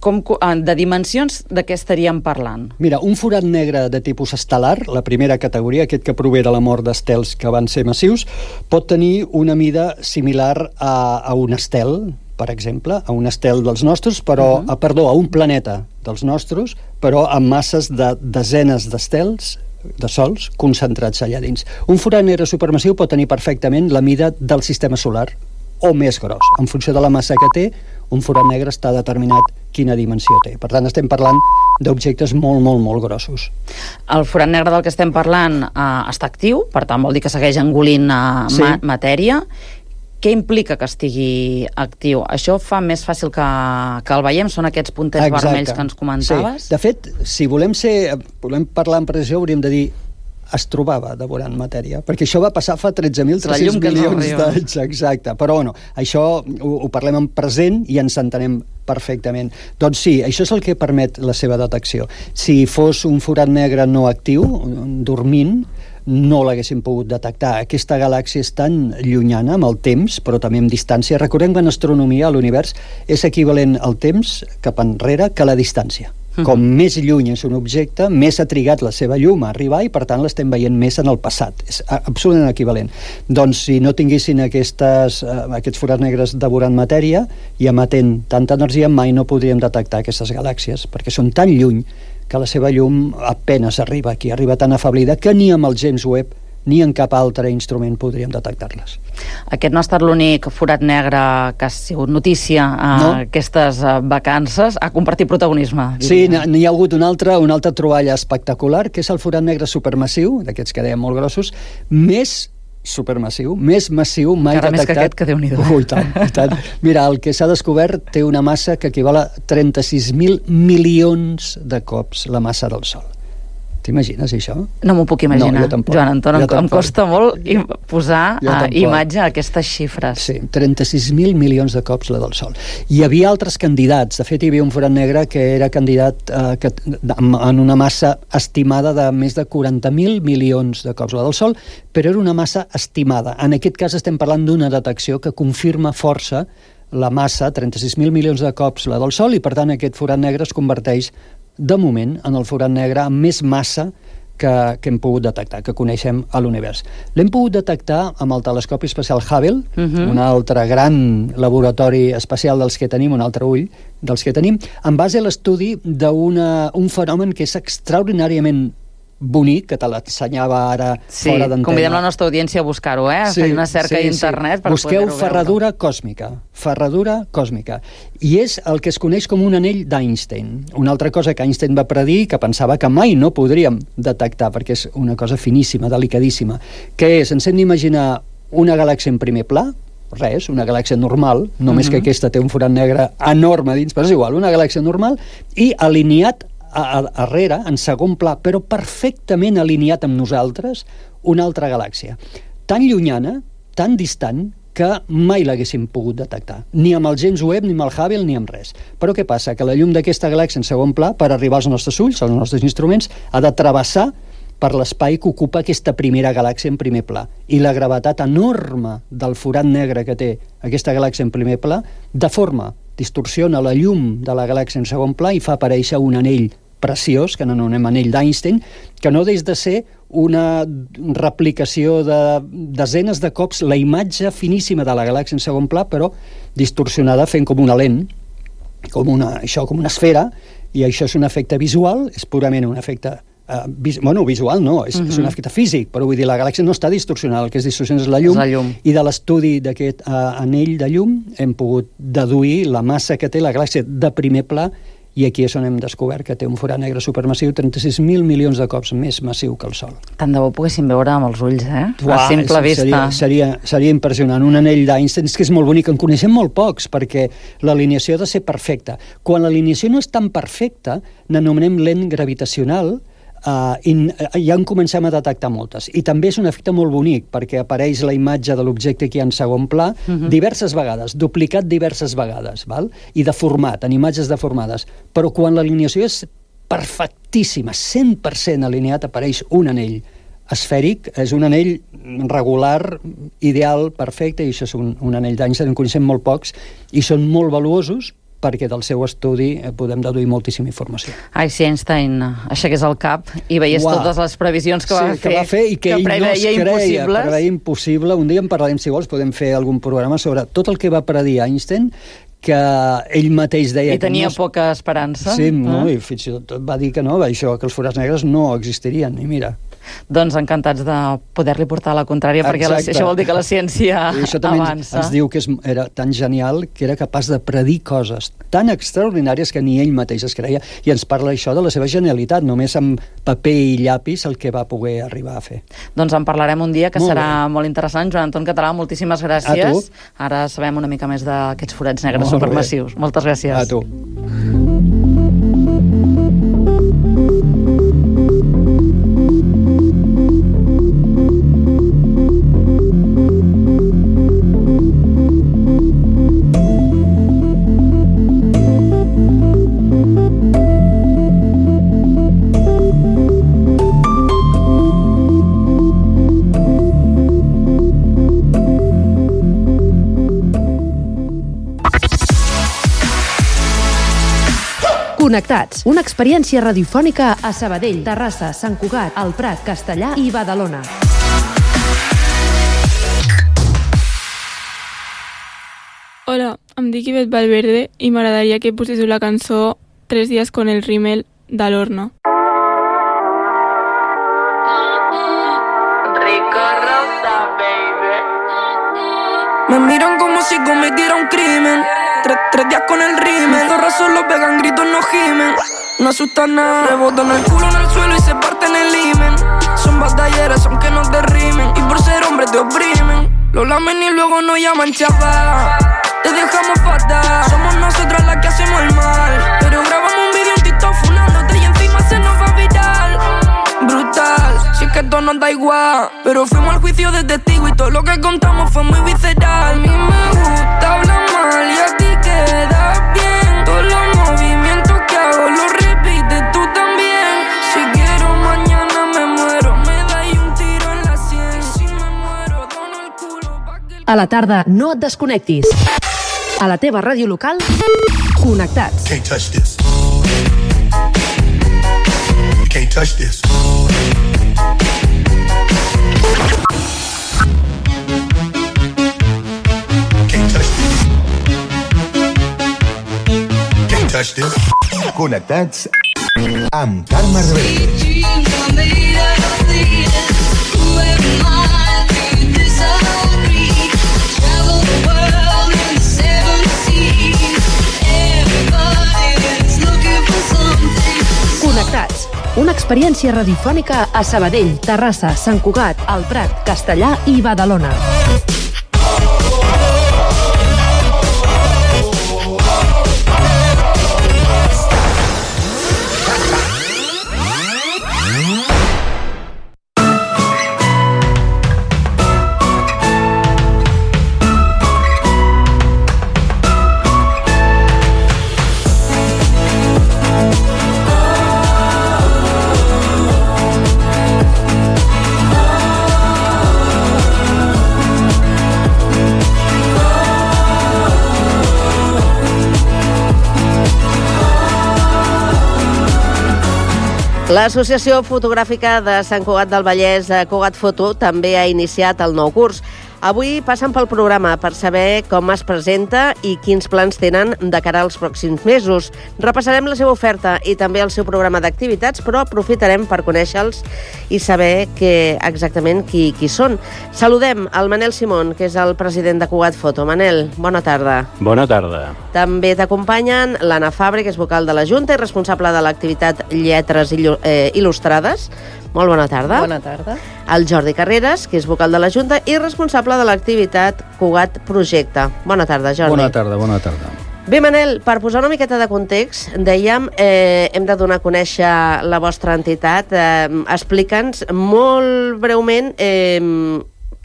de dimensions, de què estaríem parlant? Mira, un forat negre de tipus estel·lar, la primera categoria, aquest que prové de la mort d'estels que van ser massius, pot tenir una mida similar a un estel, per exemple, a un estel dels nostres, però, a un planeta dels nostres, però amb masses de desenes d'estels, de sols, concentrats allà dins. Un forat negre supermassiu pot tenir perfectament la mida del sistema solar, o més gros. En funció de la massa que té, un forat negre està determinat quina dimensió té. Per tant, estem parlant d'objectes molt, molt, molt grossos. El forat negre del que estem parlant està actiu, per tant vol dir que segueix engolint matèria. Què implica que estigui actiu? Això fa més fàcil que el veiem? Són aquests puntets vermells que ens comentaves? Sí. De fet, si volem parlar en precisió, hauríem de dir es trobava devorant matèria, perquè això va passar fa 13.300 milions d'anys, exacte, però bueno, això ho parlem en present i ens entenem perfectament. Doncs sí, això és el que permet la seva detecció. Si fos un forat negre no actiu, dormint, no l'haguéssim pogut detectar. Aquesta galàxia és tan llunyana amb el temps, però també amb distància. Recordem que en astronomia l'univers és equivalent al temps cap enrere que la distància. Com més lluny és un objecte, més ha trigat la seva llum a arribar i per tant l'estem veient més en el passat. És absolutament equivalent. Doncs si no tinguessin aquests forats negres devorant matèria i emetent tanta energia, mai no podríem detectar aquestes galàxies, perquè són tan lluny que la seva llum apenes arriba aquí, arriba tan afablida que ni amb el James Webb ni en cap altre instrument podríem detectar-les. Aquest no ha estat l'únic forat negre que ha sigut notícia aquestes vacances, ha compartit protagonisme. Sí, n'hi ha hagut una altra troballa espectacular, que és el forat negre supermassiu, d'aquests que dèiem molt grossos, més supermassiu, més massiu mai detectat. Encara més que aquest, que Déu-n'hi-do. Ui, tant. Mira, el que s'ha descobert té una massa que equival a 36.000 milions de cops la massa del Sol. T'imagines això? No m'ho puc imaginar, no, Joan Anton, em costa molt posar imatge a aquestes xifres. Sí, 36.000 milions de cops la del Sol. Hi havia altres candidats, de fet hi havia un forat negre que era candidat en una massa estimada de més de 40.000 milions de cops la del Sol, però era una massa estimada. En aquest cas estem parlant d'una detecció que confirma força la massa, 36.000 milions de cops la del Sol, i per tant aquest forat negre es converteix de moment, en el forat negre amb més massa que hem pogut detectar, que coneixem a l'univers. L'hem pogut detectar amb el telescopi espacial Hubble, un altre gran laboratori espacial dels que tenim, un altre ull dels que tenim, en base a l'estudi d'un fenomen que és extraordinàriament bonic, que te l'ensenyava ara fora d'antena. Convidem la nostra audiència a buscar-ho, a fer una cerca a internet per busqueu ferradura còsmica, i és el que es coneix com un anell d'Einstein. Una altra cosa que Einstein va predir, que pensava que mai no podríem detectar, perquè és una cosa finíssima, delicadíssima, que és, ens hem d'imaginar una galàxia en primer pla, res, una galàxia normal, només que aquesta té un forat negre enorme dins, però és igual, una galàxia normal, i alineat darrere, en segon pla, però perfectament alineat amb nosaltres, una altra galàxia. Tan llunyana, tan distant, que mai l'haguéssim pogut detectar. Ni amb el James Webb, ni amb el Hubble, ni amb res. Però què passa? Que la llum d'aquesta galàxia en segon pla, per arribar als nostres ulls, als nostres instruments, ha de travessar per l'espai que ocupa aquesta primera galàxia en primer pla. I la gravetat enorme del forat negre que té aquesta galàxia en primer pla deforma, distorsiona la llum de la galàxia en segon pla i fa aparèixer un anell preciós, que n'anomenem anell d'Einstein, que no deix de ser una replicació de desenes de cops la imatge finíssima de la galàxia en segon pla, però distorsionada fent com una lent, com una esfera, i això és un efecte visual, és purament un efecte visual no, és un efecte físic, però vull dir, la galàxia no està distorsionada, el que és distorsionat és la llum, i de l'estudi d'aquest anell de llum hem pogut deduir la massa que té la galàxia de primer pla, i aquí és on hem descobert que té un forat negre supermassiu 36.000 milions de cops més massiu que el Sol. Tant de bo poguéssim veure amb els ulls, a simple vista. Seria impressionant. Un anell d'Einstein és que és molt bonic, en coneixem molt pocs, perquè l'alineació ha de ser perfecta. Quan l'alineació no és tan perfecta, n'anomenem lent gravitacional, i ja en comencem a detectar moltes. I també és un efecte molt bonic, perquè apareix la imatge de l'objecte aquí en segon pla diverses vegades, duplicat diverses vegades, val? I deformat, en imatges deformades. Però quan l'alineació és perfectíssima, 100% alineat, apareix un anell esfèric, és un anell regular, ideal, perfecte, i això és un anell d'Einstein, en coneixem molt pocs, i són molt valuosos, perquè del seu estudi podem deduir moltíssima informació. Ai, si Einstein aixequés el cap i veiés totes les previsions que va fer i que ell no es creia, preveia impossible. Un dia en parlarem, si vols, podem fer algun programa sobre tot el que va predir Einstein, que ell mateix deia... I tenia poca esperança. Sí, no? I fins i tot va dir que no, això, que els forats negres no existirien, i mira... Doncs encantats de poder-li portar la contrària, perquè això vol dir que la ciència avança. I això també ens diu que era tan genial que era capaç de predir coses tan extraordinàries que ni ell mateix es creia, i ens parla això de la seva genialitat, només amb paper i llapis el que va poder arribar a fer. Doncs en parlarem un dia, que serà molt interessant. Joan Anton Català, moltíssimes gràcies. Ara sabem una mica més d'aquests forats negres supermassius. Moltes gràcies. A tu. Connectats, una experiència radiofònica a Sabadell, Terrassa, Sant Cugat, el Prat, Castellà i Badalona. Hola, em dic Ivet Valverde i m'agradaria que poséssiu la cançó 3 días con el rímel de l'Horna. Me miran como si cometiera un crimen. Tres días con el rímel. Zorras solo pegan gritos, no gimen. No asustan nada. Rebotan el culo en el suelo y se parten el himen. Son batalleras aunque no te rimen. Y por ser hombre te oprimen. Lo lamen y luego nos llaman chapa. Te dejamos fatal. Somos nosotras las que hacemos el mal. Pero grabamos un vídeo en TikTok funándote y encima se nos va viral. Brutal, si es que esto nos da igual. Pero fuimos al juicio de testigo y todo lo que contamos fue muy visceral. A mí me gusta hablar mal y a ti queda bien. Todos los movimientos que hago los repites tú también. Si quiero mañana me muero, me dais un tiro en la sien. Si me muero dono el culo pa' que... A la tarda no et desconnectis. A la teva ràdio local, Connectats. Can't touch this. You can't touch this. Touch this. Connectats amb Carme Rebell. Connectats, una experiència radiofònica a Sabadell, Terrassa, Sant Cugat, el Prat, Castellà i Badalona. L'Associació Fotogràfica de Sant Cugat del Vallès, Cugat Foto, també ha iniciat el nou curs. Avui passen pel programa per saber com es presenta i quins plans tenen de cara als pròxims mesos. Repassarem la seva oferta i també el seu programa d'activitats, però aprofitarem per conèixer-los i saber exactament qui són. Saludem el Manel Simón, que és el president de Cugat Foto. Manel, bona tarda. Bona tarda. També t'acompanyen l'Anna Fabre, que és vocal de la Junta i responsable de l'activitat Lletres Il·lustrades. Molt bona tarda. Bona tarda. El Jordi Carreras, que és vocal de la Junta i responsable de l'activitat Cugat Projecte. Bona tarda, Jordi. Bona tarda, bona tarda. Bé, Manel, per posar una miqueta de context, dèiem, hem de donar a conèixer la vostra entitat. Explica'ns molt breument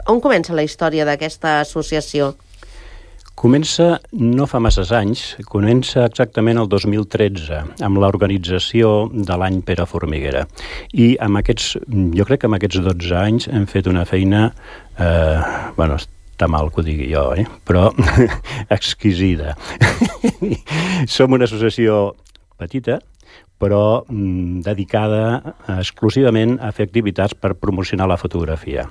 on comença la història d'aquesta associació. Comença no fa masses anys, comença exactament el 2013, amb l'organització de l'any Pere Formiguera. I jo crec que amb aquests 12 anys hem fet una feina està mal que ho digui jo, però exquisida. Som una associació petita, però dedicada exclusivament a fer activitats per promocionar la fotografia.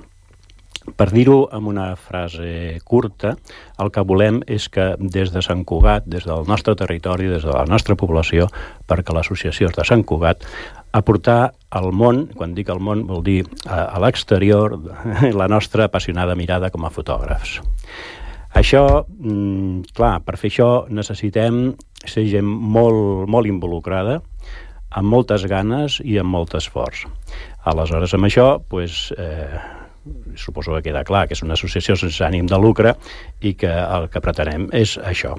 Per dir-ho amb una frase curta, el que volem és que des de Sant Cugat, des del nostre territori, des de la nostra població, perquè l'associació és de Sant Cugat, aportar al món, quan dic al món vol dir a l'exterior, la nostra apassionada mirada com a fotògrafs. Això, clar, per fer això necessitem ser gent molt involucrada, amb moltes ganes i amb molt esforç. Aleshores, amb això, suposo que queda clar que és una associació sense ànim de lucre i que el que pretenem és això.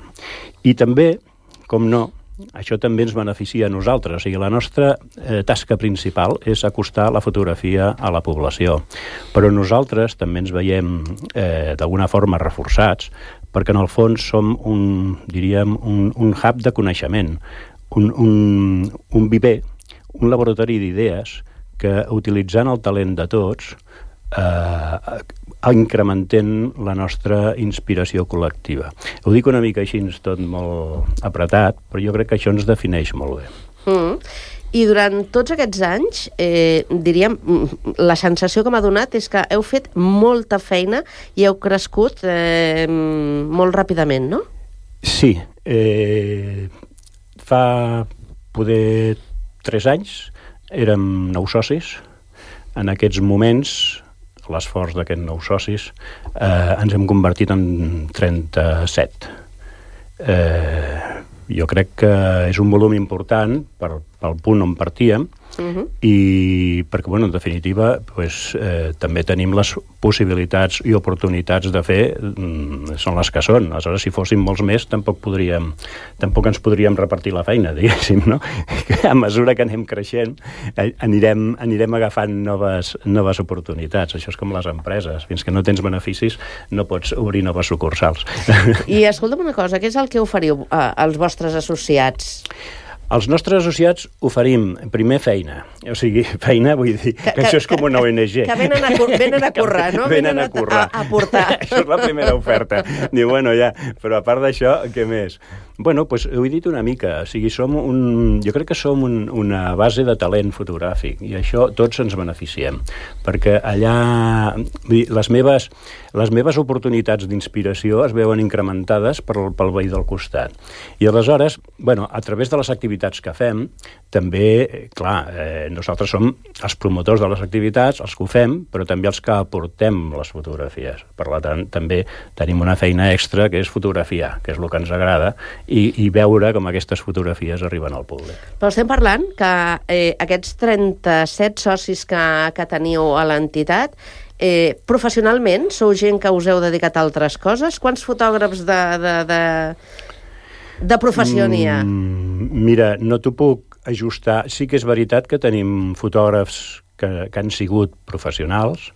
I també, com no, això també ens beneficia a nosaltres. O sigui, la nostra tasca principal és acostar la fotografia a la població. Però nosaltres també ens veiem d'alguna forma reforçats perquè en el fons som un hub de coneixement, un viver, un laboratori d'idees que utilitzant el talent de tots incrementem la nostra inspiració col·lectiva. Ho dic una mica així, tot molt apretat, però jo crec que això ens defineix molt bé. I durant tots aquests anys, diríem, la sensació que m'ha donat és que heu fet molta feina i heu crescut molt ràpidament, no? Sí. Fa poder 3 anys érem 9 socis. En aquests moments, l'esforç d'aquests 9 socis, ens hem convertit en 37. Jo crec que és un volum important pel punt on partíem i perquè, en definitiva, també tenim les possibilitats i oportunitats de fer, són les que són. Aleshores, si fóssim molts més, tampoc ens podríem repartir la feina, diguéssim, no? A mesura que anem creixent, anirem agafant noves oportunitats. Això és com les empreses. Fins que no tens beneficis, no pots obrir noves sucursals. I escolta'm una cosa, què és el que oferiu als vostres associats? Els nostres associats oferim, primer, feina. O sigui, feina, vull dir, que això és com una ONG. Que venen a currar, no? Venen a currar. A aportar. Això és la primera oferta. Diu, ja, però a part d'això, què més? Ho he dit una mica. O sigui, jo crec que som una base de talent fotogràfic i això tots ens beneficiem. Perquè allà, les meves oportunitats d'inspiració es veuen incrementades pel veí del costat. I aleshores, a través de les activitats que fem, també, clar, nosaltres som els promotors de les activitats, els que ho fem, però també els que aportem les fotografies. Per tant, també tenim una feina extra que és fotografiar, que és el que ens agrada, i veure com aquestes fotografies arriben al públic. Però estem parlant que aquests 37 socis que teniu a l'entitat, professionalment, sou gent que us heu dedicat a altres coses? Quants fotògrafs de professió n'hi ha? Mira, no t'ho puc ajustar. Sí que és veritat que tenim fotògrafs que han sigut professionals.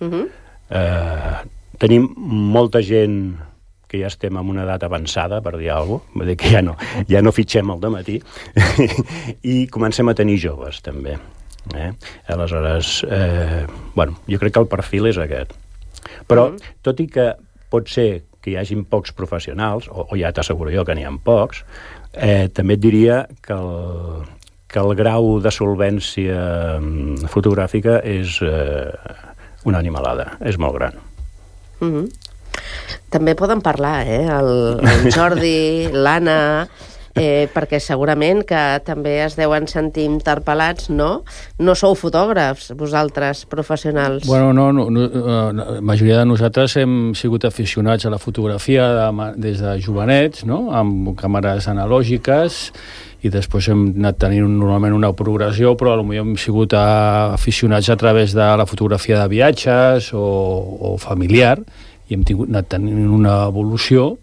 Tenim molta gent que ja estem en una edat avançada, per dir alguna cosa, vull dir que ja no fitxem al dematí, i comencem a tenir joves, també. Aleshores, jo crec que el perfil és aquest. Però, tot i que pot ser que hi hagin pocs professionals, o ja t'asseguro jo que n'hi ha pocs, també et diria que el grau de solvència fotogràfica és una animalada, és molt gran. També poden parlar, el Jordi, l'Anna, perquè segurament que també es deuen sentir interpel·lats, no? No sou fotògrafs, vosaltres, professionals. La majoria de nosaltres hem sigut aficionats a la fotografia des de jovenets, no? Amb càmeres analògiques, i després hem anat tenint normalment una progressió, però potser hem sigut aficionats a través de la fotografia de viatges o familiar, i hem anat tenint una evolució.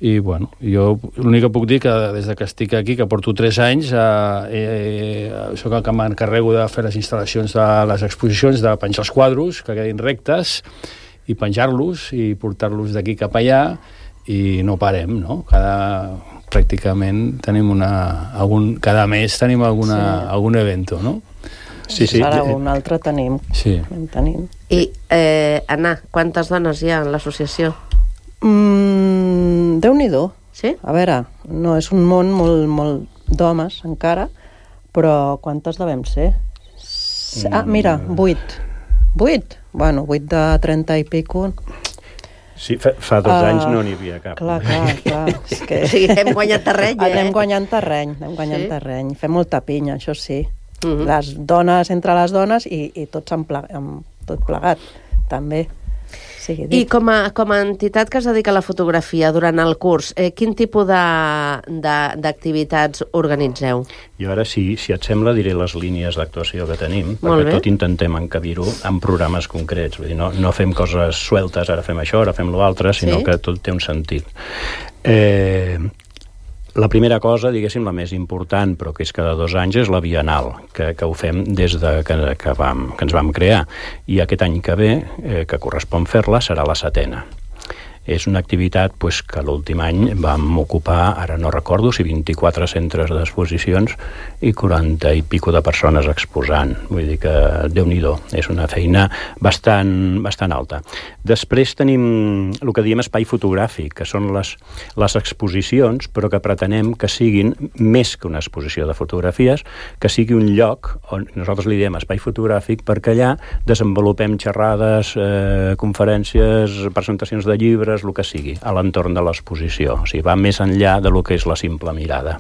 I, jo l'únic que puc dir que des que estic aquí, que porto 3 anys, soc el que m'encarrego de fer les instal·lacions de les exposicions, de penjar els quadros, que quedin rectes, i penjar-los, i portar-los d'aquí cap allà, i no parem, no? Pràcticament tenim cada mes tenim algun evento, no? Sí. Ara un altre tenim. Sí. Tenim. I, Anna, quantes dones hi ha en l'associació? Déu-n'hi-do. Sí? A veure, no és un món molt d'homes encara, però quantes devem ser? Mira, 8. 8? Bueno, 8 de 30 i pico. Sí, fa 2 anys no n'hi havia cap. Clar. És que... O sigui, hem guanyat terreny, Anem guanyant terreny. Fem molta pinya, això sí. Les dones entre les dones i tots tot plegat, també. I com a entitat que es dedica a la fotografia durant el curs, quin tipus d'activitats organitzeu? Jo ara, si et sembla, diré les línies d'actuació que tenim, perquè tot intentem encabir-ho en programes concrets. Vull dir, no fem coses sueltes, ara fem això, ara fem l'altre, sinó que tot té un sentit. La primera cosa, diguéssim, la més important, però que és cada 2 anys, és la Bienal, que ho fem des de que ens vam crear. I aquest any que ve, que correspon fer-la, serà la 7ª. És una activitat que l'últim any vam ocupar, ara no recordo, si 24 centres d'exposicions i 40 i pico de persones exposant. Vull dir que, Déu-n'hi-do, és una feina bastant alta. Després tenim el que diem espai fotogràfic, que són les exposicions, però que pretenem que siguin més que una exposició de fotografies, que sigui un lloc on nosaltres li diem espai fotogràfic perquè allà desenvolupem xerrades, conferències, presentacions de llibres, el que sigui, a l'entorn de l'exposició. O sigui, va més enllà de lo que és la simple mirada.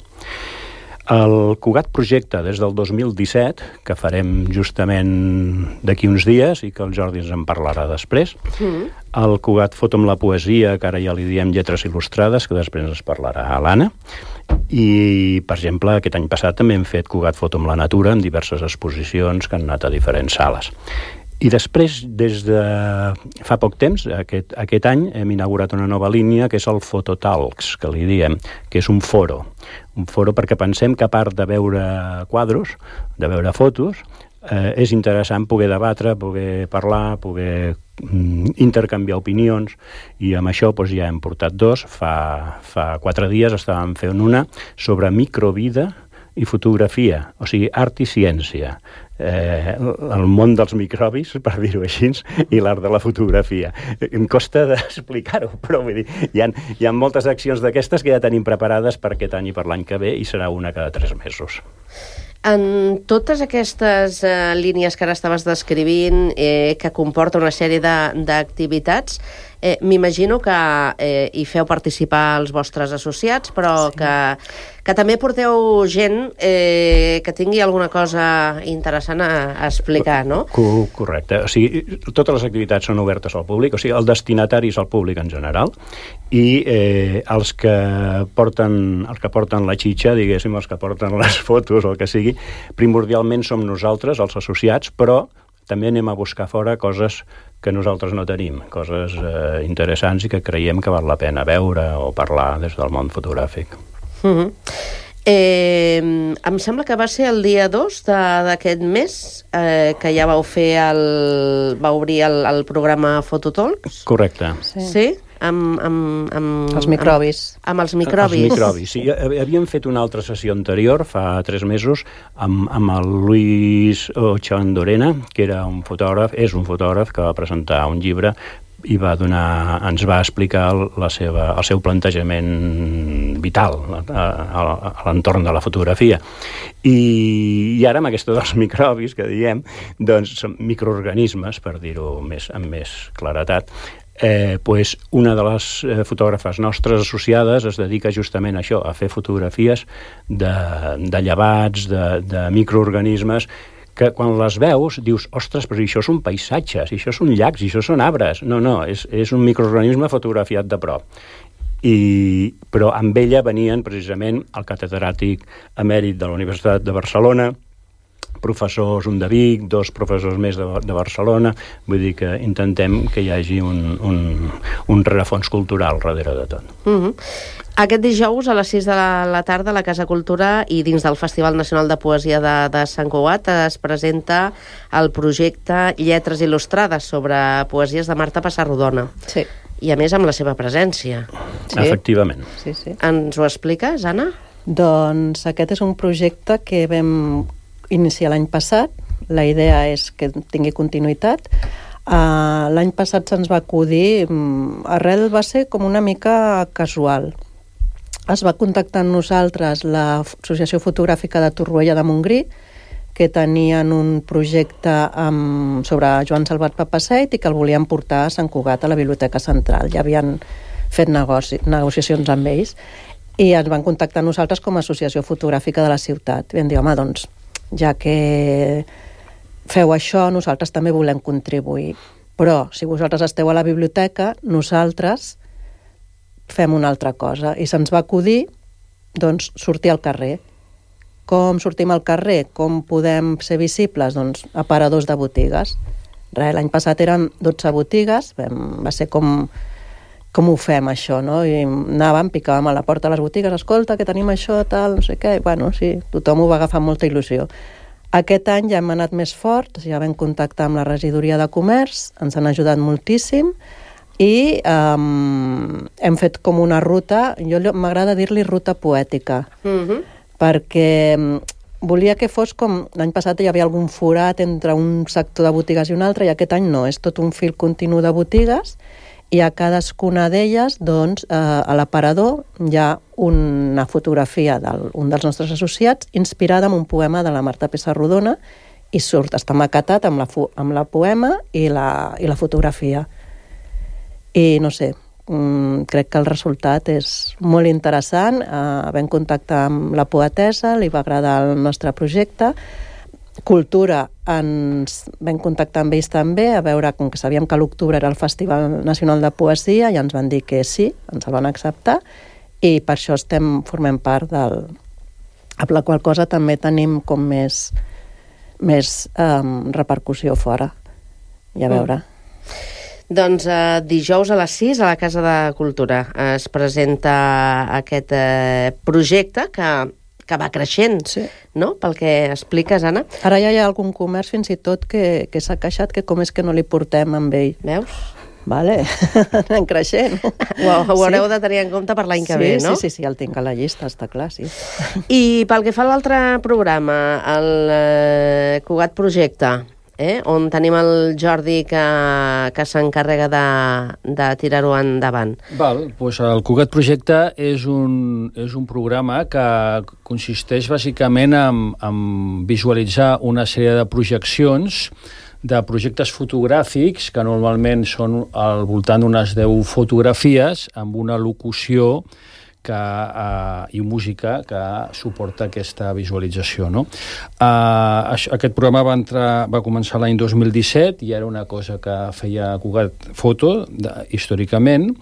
El Cugat projecte des del 2017, que farem justament d'aquí uns dies i que el Jordi ens en parlarà després. El Cugat Foto amb la poesia, que ara ja li diem lletres il·lustrades, que després ens parlarà l'Anna. I, per exemple, aquest any passat també hem fet Cugat Foto amb la natura en diverses exposicions que han anat a diferents sales. I després, des de fa poc temps, aquest any, hem inaugurat una nova línia, que és el Fototalks, que li diem, que és un foro. Un foro perquè pensem que, a part de veure quadros, de veure fotos, és interessant poder debatre, poder parlar, poder intercanviar opinions, i amb això ja hem portat 2. Fa 4 dies estàvem fent una sobre microvida i fotografia, o sigui, art i ciència. El món dels microbis, per dir-ho així, i l'art de la fotografia. Em costa d'explicar-ho, però vull dir, hi ha moltes accions d'aquestes que ja tenim preparades per aquest any i per l'any que ve, i serà una cada 3 mesos. En totes aquestes línies que ara estaves descrivint, que comporta una sèrie d'activitats, m'imagino que hi feu participar els vostres associats, però que també porteu gent que tingui alguna cosa interessant a explicar, no? Correcte. O sigui, totes les activitats són obertes al públic, o sigui, el destinatari és el públic en general, i els que porten la xitxa, diguéssim, els que porten les fotos o el que sigui, primordialment som nosaltres, els associats, però també anem a buscar fora coses que nosaltres no tenim, coses interessants i que creiem que val la pena veure o parlar des del món fotogràfic. Em sembla que va ser el dia 2 d'aquest mes que ja vau obrir el programa Fototalks. Correcte. Sí? Amb els microbis. Amb els microbis. Els microbis, sí. Havíem fet una altra sessió anterior, fa 3 mesos, amb el Luis Ochandorena, que era és un fotògraf que va presentar un llibre i ens va explicar el seu plantejament vital a l'entorn de la fotografia. I ara, amb aquesta dels microbis, que diem, doncs són microorganismes, per dir-ho amb més claretat. Una de les fotògrafes nostres associades es dedica justament a això, a fer fotografies de llevats, de microorganismes, que quan les veus dius, ostres, però això són paisatges, això són llacs, això són arbres. No, és un microorganisme fotografiat de prop. Però amb ella venien precisament el catedràtic emèrit de la Universitat de Barcelona, professors, un de Vic, 2 professors més de Barcelona. Vull dir que intentem que hi hagi un rerefons cultural darrere de tot. Aquest dijous a les 6 de la tarda a la Casa Cultura i dins del Festival Nacional de Poesia de Sant Cugat es presenta el projecte Lletres Il·lustrades sobre poesies de Marta Pessarrodona. Sí. I a més amb la seva presència. Sí. Efectivament. Sí. Ens ho expliques, Anna? Doncs aquest és un projecte que vam iniciar l'any passat. La idea és que tingui continuïtat. L'any passat se'ns va acudir, arrel va ser com una mica casual. Es va contactar amb nosaltres l'Associació Fotogràfica de Torroella de Montgrí, que tenien un projecte sobre Joan Salvat Papasseit i que el volien portar a Sant Cugat, a la Biblioteca Central. Ja havien fet negociacions amb ells i ens van contactar nosaltres com a Associació Fotogràfica de la ciutat. I vam dir, home, doncs, ja que feu això, nosaltres també volem contribuir. Però, si vosaltres esteu a la biblioteca, nosaltres fem una altra cosa. I se'ns va acudir, doncs, sortir al carrer. Com sortim al carrer? Com podem ser visibles? Doncs, aparadors de botigues. L'any passat eren 12 botigues, va ser com ho fem, això, no? I anàvem, picàvem a la porta de les botigues, escolta, que tenim això, tal, no sé què. Bueno, sí, tothom ho va agafar amb molta il·lusió. Aquest any ja hem anat més forts, ja vam contactar amb la regidoria de comerç, ens han ajudat moltíssim i hem fet com una ruta, m'agrada dir-li ruta poètica, perquè volia que fos com, l'any passat hi havia algun forat entre un sector de botigues i un altre, i aquest any no, és tot un fil continu de botigues, i a cadascuna d'elles, doncs, a l'aparador hi ha una fotografia d'un dels nostres associats inspirada en un poema de la Marta Pessarrodona i està maquetat amb la poema i la fotografia. I no sé, crec que el resultat és molt interessant. Vam contactar amb la poetessa, li va agradar el nostre projecte. Cultura, ens vam contactar amb ells també, a veure, com que sabíem que l'octubre era el Festival Nacional de Poesia, i ens van dir que sí, ens el van acceptar, i per això formem part amb la qual cosa també tenim com més repercussió fora. I a veure. Doncs dijous a les 6 a la Casa de Cultura es presenta aquest projecte que va creixent, no? Pel que expliques, Anna. Ara ja hi ha algun comerç fins i tot que s'ha queixat que com és que no li portem amb ell. Veus? Vale, anem creixent. Ho haureu de tenir en compte per l'any que ve, no? Sí, el tinc a la llista, està clar, sí. I pel que fa a l'altre programa, el Cugat Projecte, on tenim el Jordi que s'encarrega de tirar-ho endavant. Doncs el Cugat Projecte és un programa que consisteix bàsicament en visualitzar una sèrie de projeccions de projectes fotogràfics que normalment són al voltant d'unes 10 fotografies amb una locució i música que suporta aquesta visualització, no? Aquest programa va començar l'any 2017 i era una cosa que feia Cugat Foto històricament,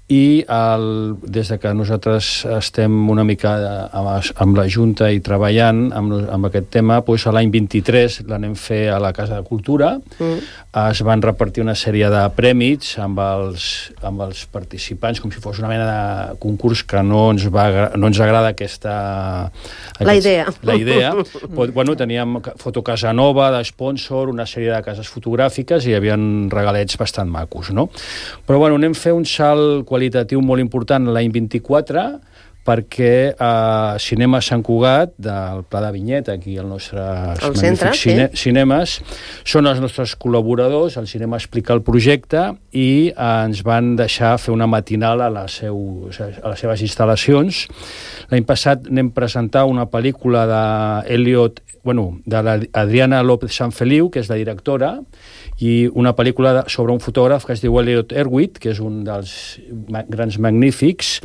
i des de que nosaltres estem una mica amb la Junta i treballant amb aquest tema, doncs l'any 23 l'anem fer a la Casa de Cultura. Es van repartir una sèrie de prèmits amb els participants, com si fos una mena de concurs que no ens agrada la idea. Bueno, teníem Foto Casa Nova d'espònsor, una sèrie de cases fotogràfiques i hi havia regalets bastant macos, no? Però bueno, anem a fer un salt qualitatiu molt important l'any 24 perquè Cinema Sant Cugat, del Pla de Vinyet, aquí al nostre magnífic cinemes, són els nostres col·laboradors, el cinema explica el projecte i ens van deixar fer una matinal a les seves instal·lacions. L'any passat anem a presentar una pel·lícula de l'Adriana López Sanfeliu, que és la directora, i una pel·lícula sobre un fotògraf que es diu Elliot Erwitt, que és un dels grans magnífics,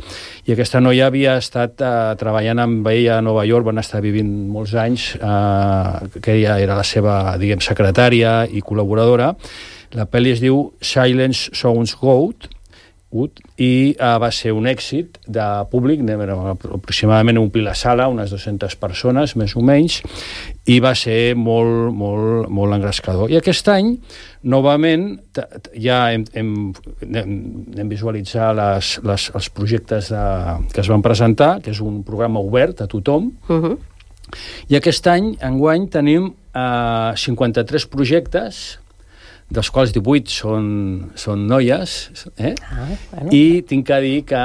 i aquesta noia havia estat treballant amb ell a Nova York, van estar vivint molts anys, que ella era la seva, secretària i col·laboradora. La pel·li es diu Silence Sounds Good, i va ser un èxit de públic, aproximadament omplir la sala, unes 200 persones, més o menys, i va ser molt, molt, molt engrescador. I aquest any, novament, ja hem visualitzat els projectes que es van presentar, que és un programa obert a tothom, i aquest any, enguany, tenim 53 projectes, dels quals 18 són noies, i tinc que dir que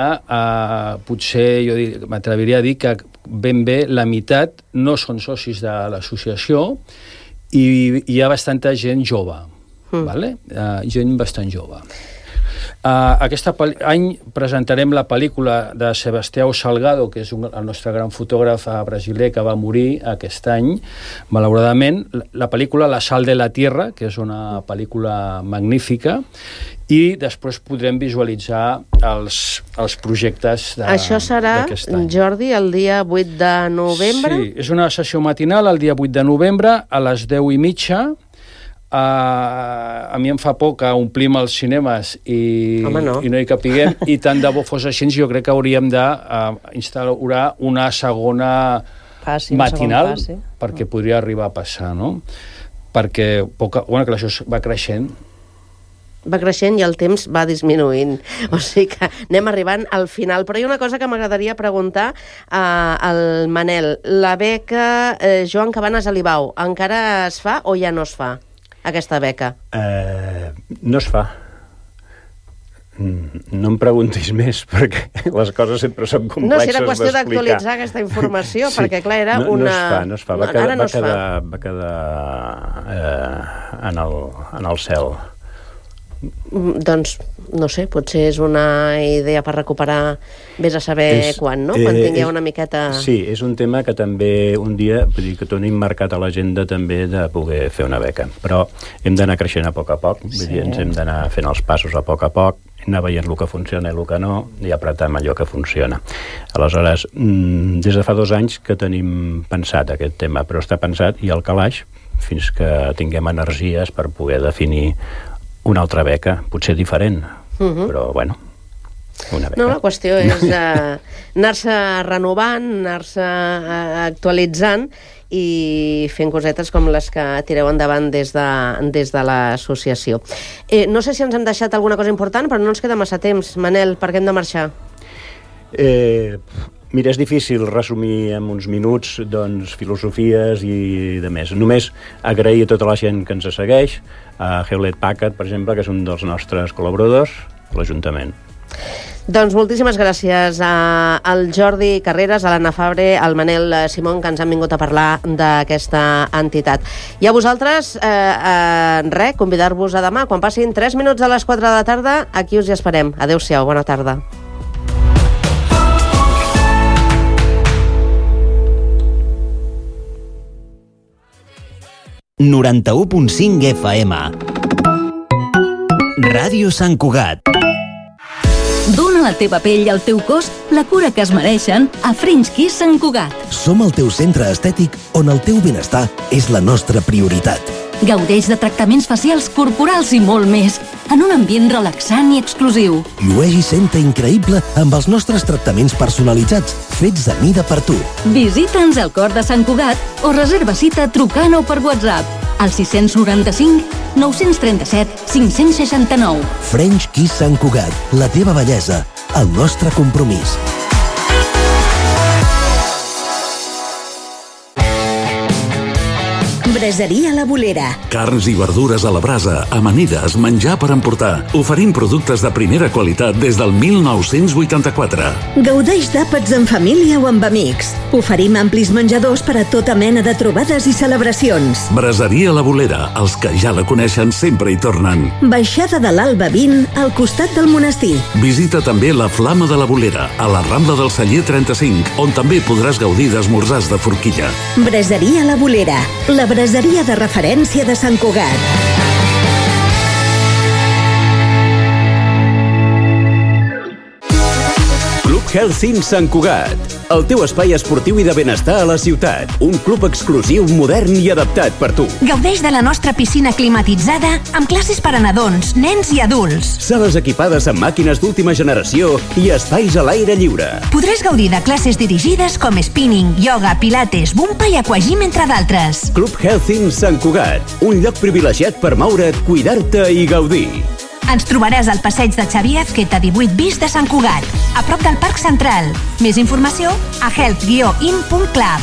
potser m'atreviria a dir que ben bé la meitat no són socis de l'associació i hi ha bastanta gent jove. vale? Gent bastant jove. Aquest any presentarem la pel·lícula de Sebastião Salgado, que és el nostre gran fotògraf brasiler que va morir aquest any, malauradament. La pel·lícula La sal de la tierra, que és una pel·lícula magnífica, i després podrem visualitzar els projectes d'aquest any. Això serà, Jordi, el dia 8 de novembre? Sí, és una sessió matinal el dia 8 de novembre a les 10:30. A mi em fa por que omplim els cinemes i no hi capiguem, i tant de bo fos així, jo crec que hauríem d'instaurar una segona matinal perquè podria arribar a passar, no? Perquè això va creixent. Va creixent i el temps va disminuint. O sigui que anem arribant al final. Però hi ha una cosa que m'agradaria preguntar al Manel. La beca Joan Cabanes Alibau encara es fa o ja no es fa, aquesta beca? No es fa. No em preguntis més, perquè les coses sempre són complexes d'explicar. No, si era qüestió d'actualitzar aquesta informació, perquè clar, era una... No es fa. Va quedar en el cel. Doncs, no sé, potser és una idea per recuperar, vés a saber quan, no? Quan tingueu una miqueta... Sí, és un tema que també un dia, vull dir que tenim marcat a l'agenda també de poder fer una beca, però hem d'anar creixent a poc, vull dir, ens hem d'anar fent els passos a poc, anar veient el que funciona i el que no, i apretar amb allò que funciona. Aleshores, des de fa 2 anys que tenim pensat aquest tema, però està pensat i al calaix fins que tinguem energies per poder definir una altra beca, potser diferent, però bueno, una beca. No, la qüestió és anar-se renovant, anar-se actualitzant i fent cosetes com les que tireu endavant des de l'associació. No sé si ens hem deixat alguna cosa important, però no ens queda massa temps. Manel, per què hem de marxar? Mira, és difícil resumir en uns minuts filosofies i de més. Només agrair a tota la gent que ens segueix, a Hewlett Packard, per exemple, que és un dels nostres col·laboradors, a l'Ajuntament. Doncs moltíssimes gràcies al Jordi Carreras, a l'Anna Fabre, al Manel Simón, que ens han vingut a parlar d'aquesta entitat. I a vosaltres, convidar-vos a demà, quan passin 3 minuts a les 4 de la tarda, aquí us hi esperem. Adéu-siau, bona tarda. ...91.5 FM. Ràdio Sant Cugat. Dóna a la teva pell i al teu cos la cura que es mereixen a French Kiss Sant Cugat. Som el teu centre estètic on el teu benestar és la nostra prioritat. Gaudeix de tractaments facials, corporals i molt més, en un ambient relaxant i exclusiu. Llueix i senta increïble amb els nostres tractaments personalitzats, fets a mida per tu. Visita'ns al cor de Sant Cugat o reserva cita trucant o per WhatsApp al 695 937 569. French Kiss Sant Cugat, la teva bellesa, el nostre compromís. Braseria La Bolera. Carns i verdures a la brasa, amanides, menjar per emportar. Oferim productes de primera qualitat des del 1984. Gaudeix d'àpats en família o amb amics. Oferim amplis menjadors per a tota mena de trobades i celebracions. Braseria La Bolera. Els que ja la coneixen sempre hi tornen. Baixada de l'Alba 20, al costat del monestir. Visita també la Flama de la Bolera, a la Rambla del Celler 35, on també podràs gaudir d'esmorzars de forquilla. Braseria La Bolera. La braseria de referència de Sant Cugat. Club Health Sant Cugat, el teu espai esportiu i de benestar a la ciutat. Un club exclusiu, modern i adaptat per tu. Gaudeix de la nostra piscina climatitzada amb classes per a nadons, nens i adults. Sales equipades amb màquines d'última generació i espais a l'aire lliure. Podràs gaudir de classes dirigides com spinning, yoga, pilates, bumpa i aquagym, entre d'altres. Club Health Sant Cugat, un lloc privilegiat per moure't, cuidar-te i gaudir. Ens trobaràs al passeig de Xavier Azqueta 18 bis de Sant Cugat, a prop del Parc Central. Més informació a health-in.club.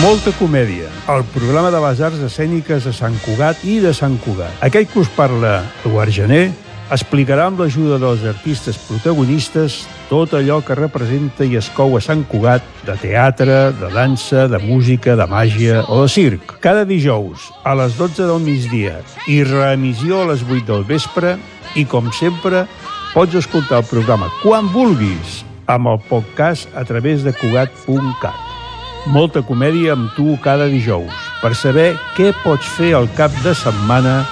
Molta comèdia, el programa de les arts escèniques de Sant Cugat i de Sant Cugat. Aquell que us parla, Eduard Gené, explicarà amb l'ajuda dels artistes protagonistes tot allò que representa i es cou a Sant Cugat, de teatre, de dansa, de música, de màgia o de circ. Cada dijous, a les 12 del migdia, i reemissió a les 8 del vespre, i com sempre, pots escoltar el programa quan vulguis, amb el podcast a través de Cugat.cat. Molta comèdia amb tu cada dijous, per saber què pots fer al cap de setmana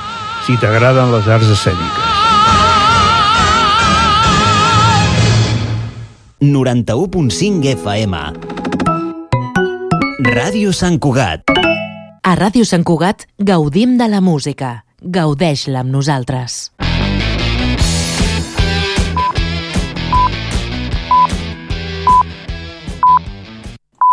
si t'agraden les arts escèniques. 91.5 FM. Ràdio Sant Cugat. A Ràdio Sant Cugat gaudim de la música. Gaudeix-la amb nosaltres.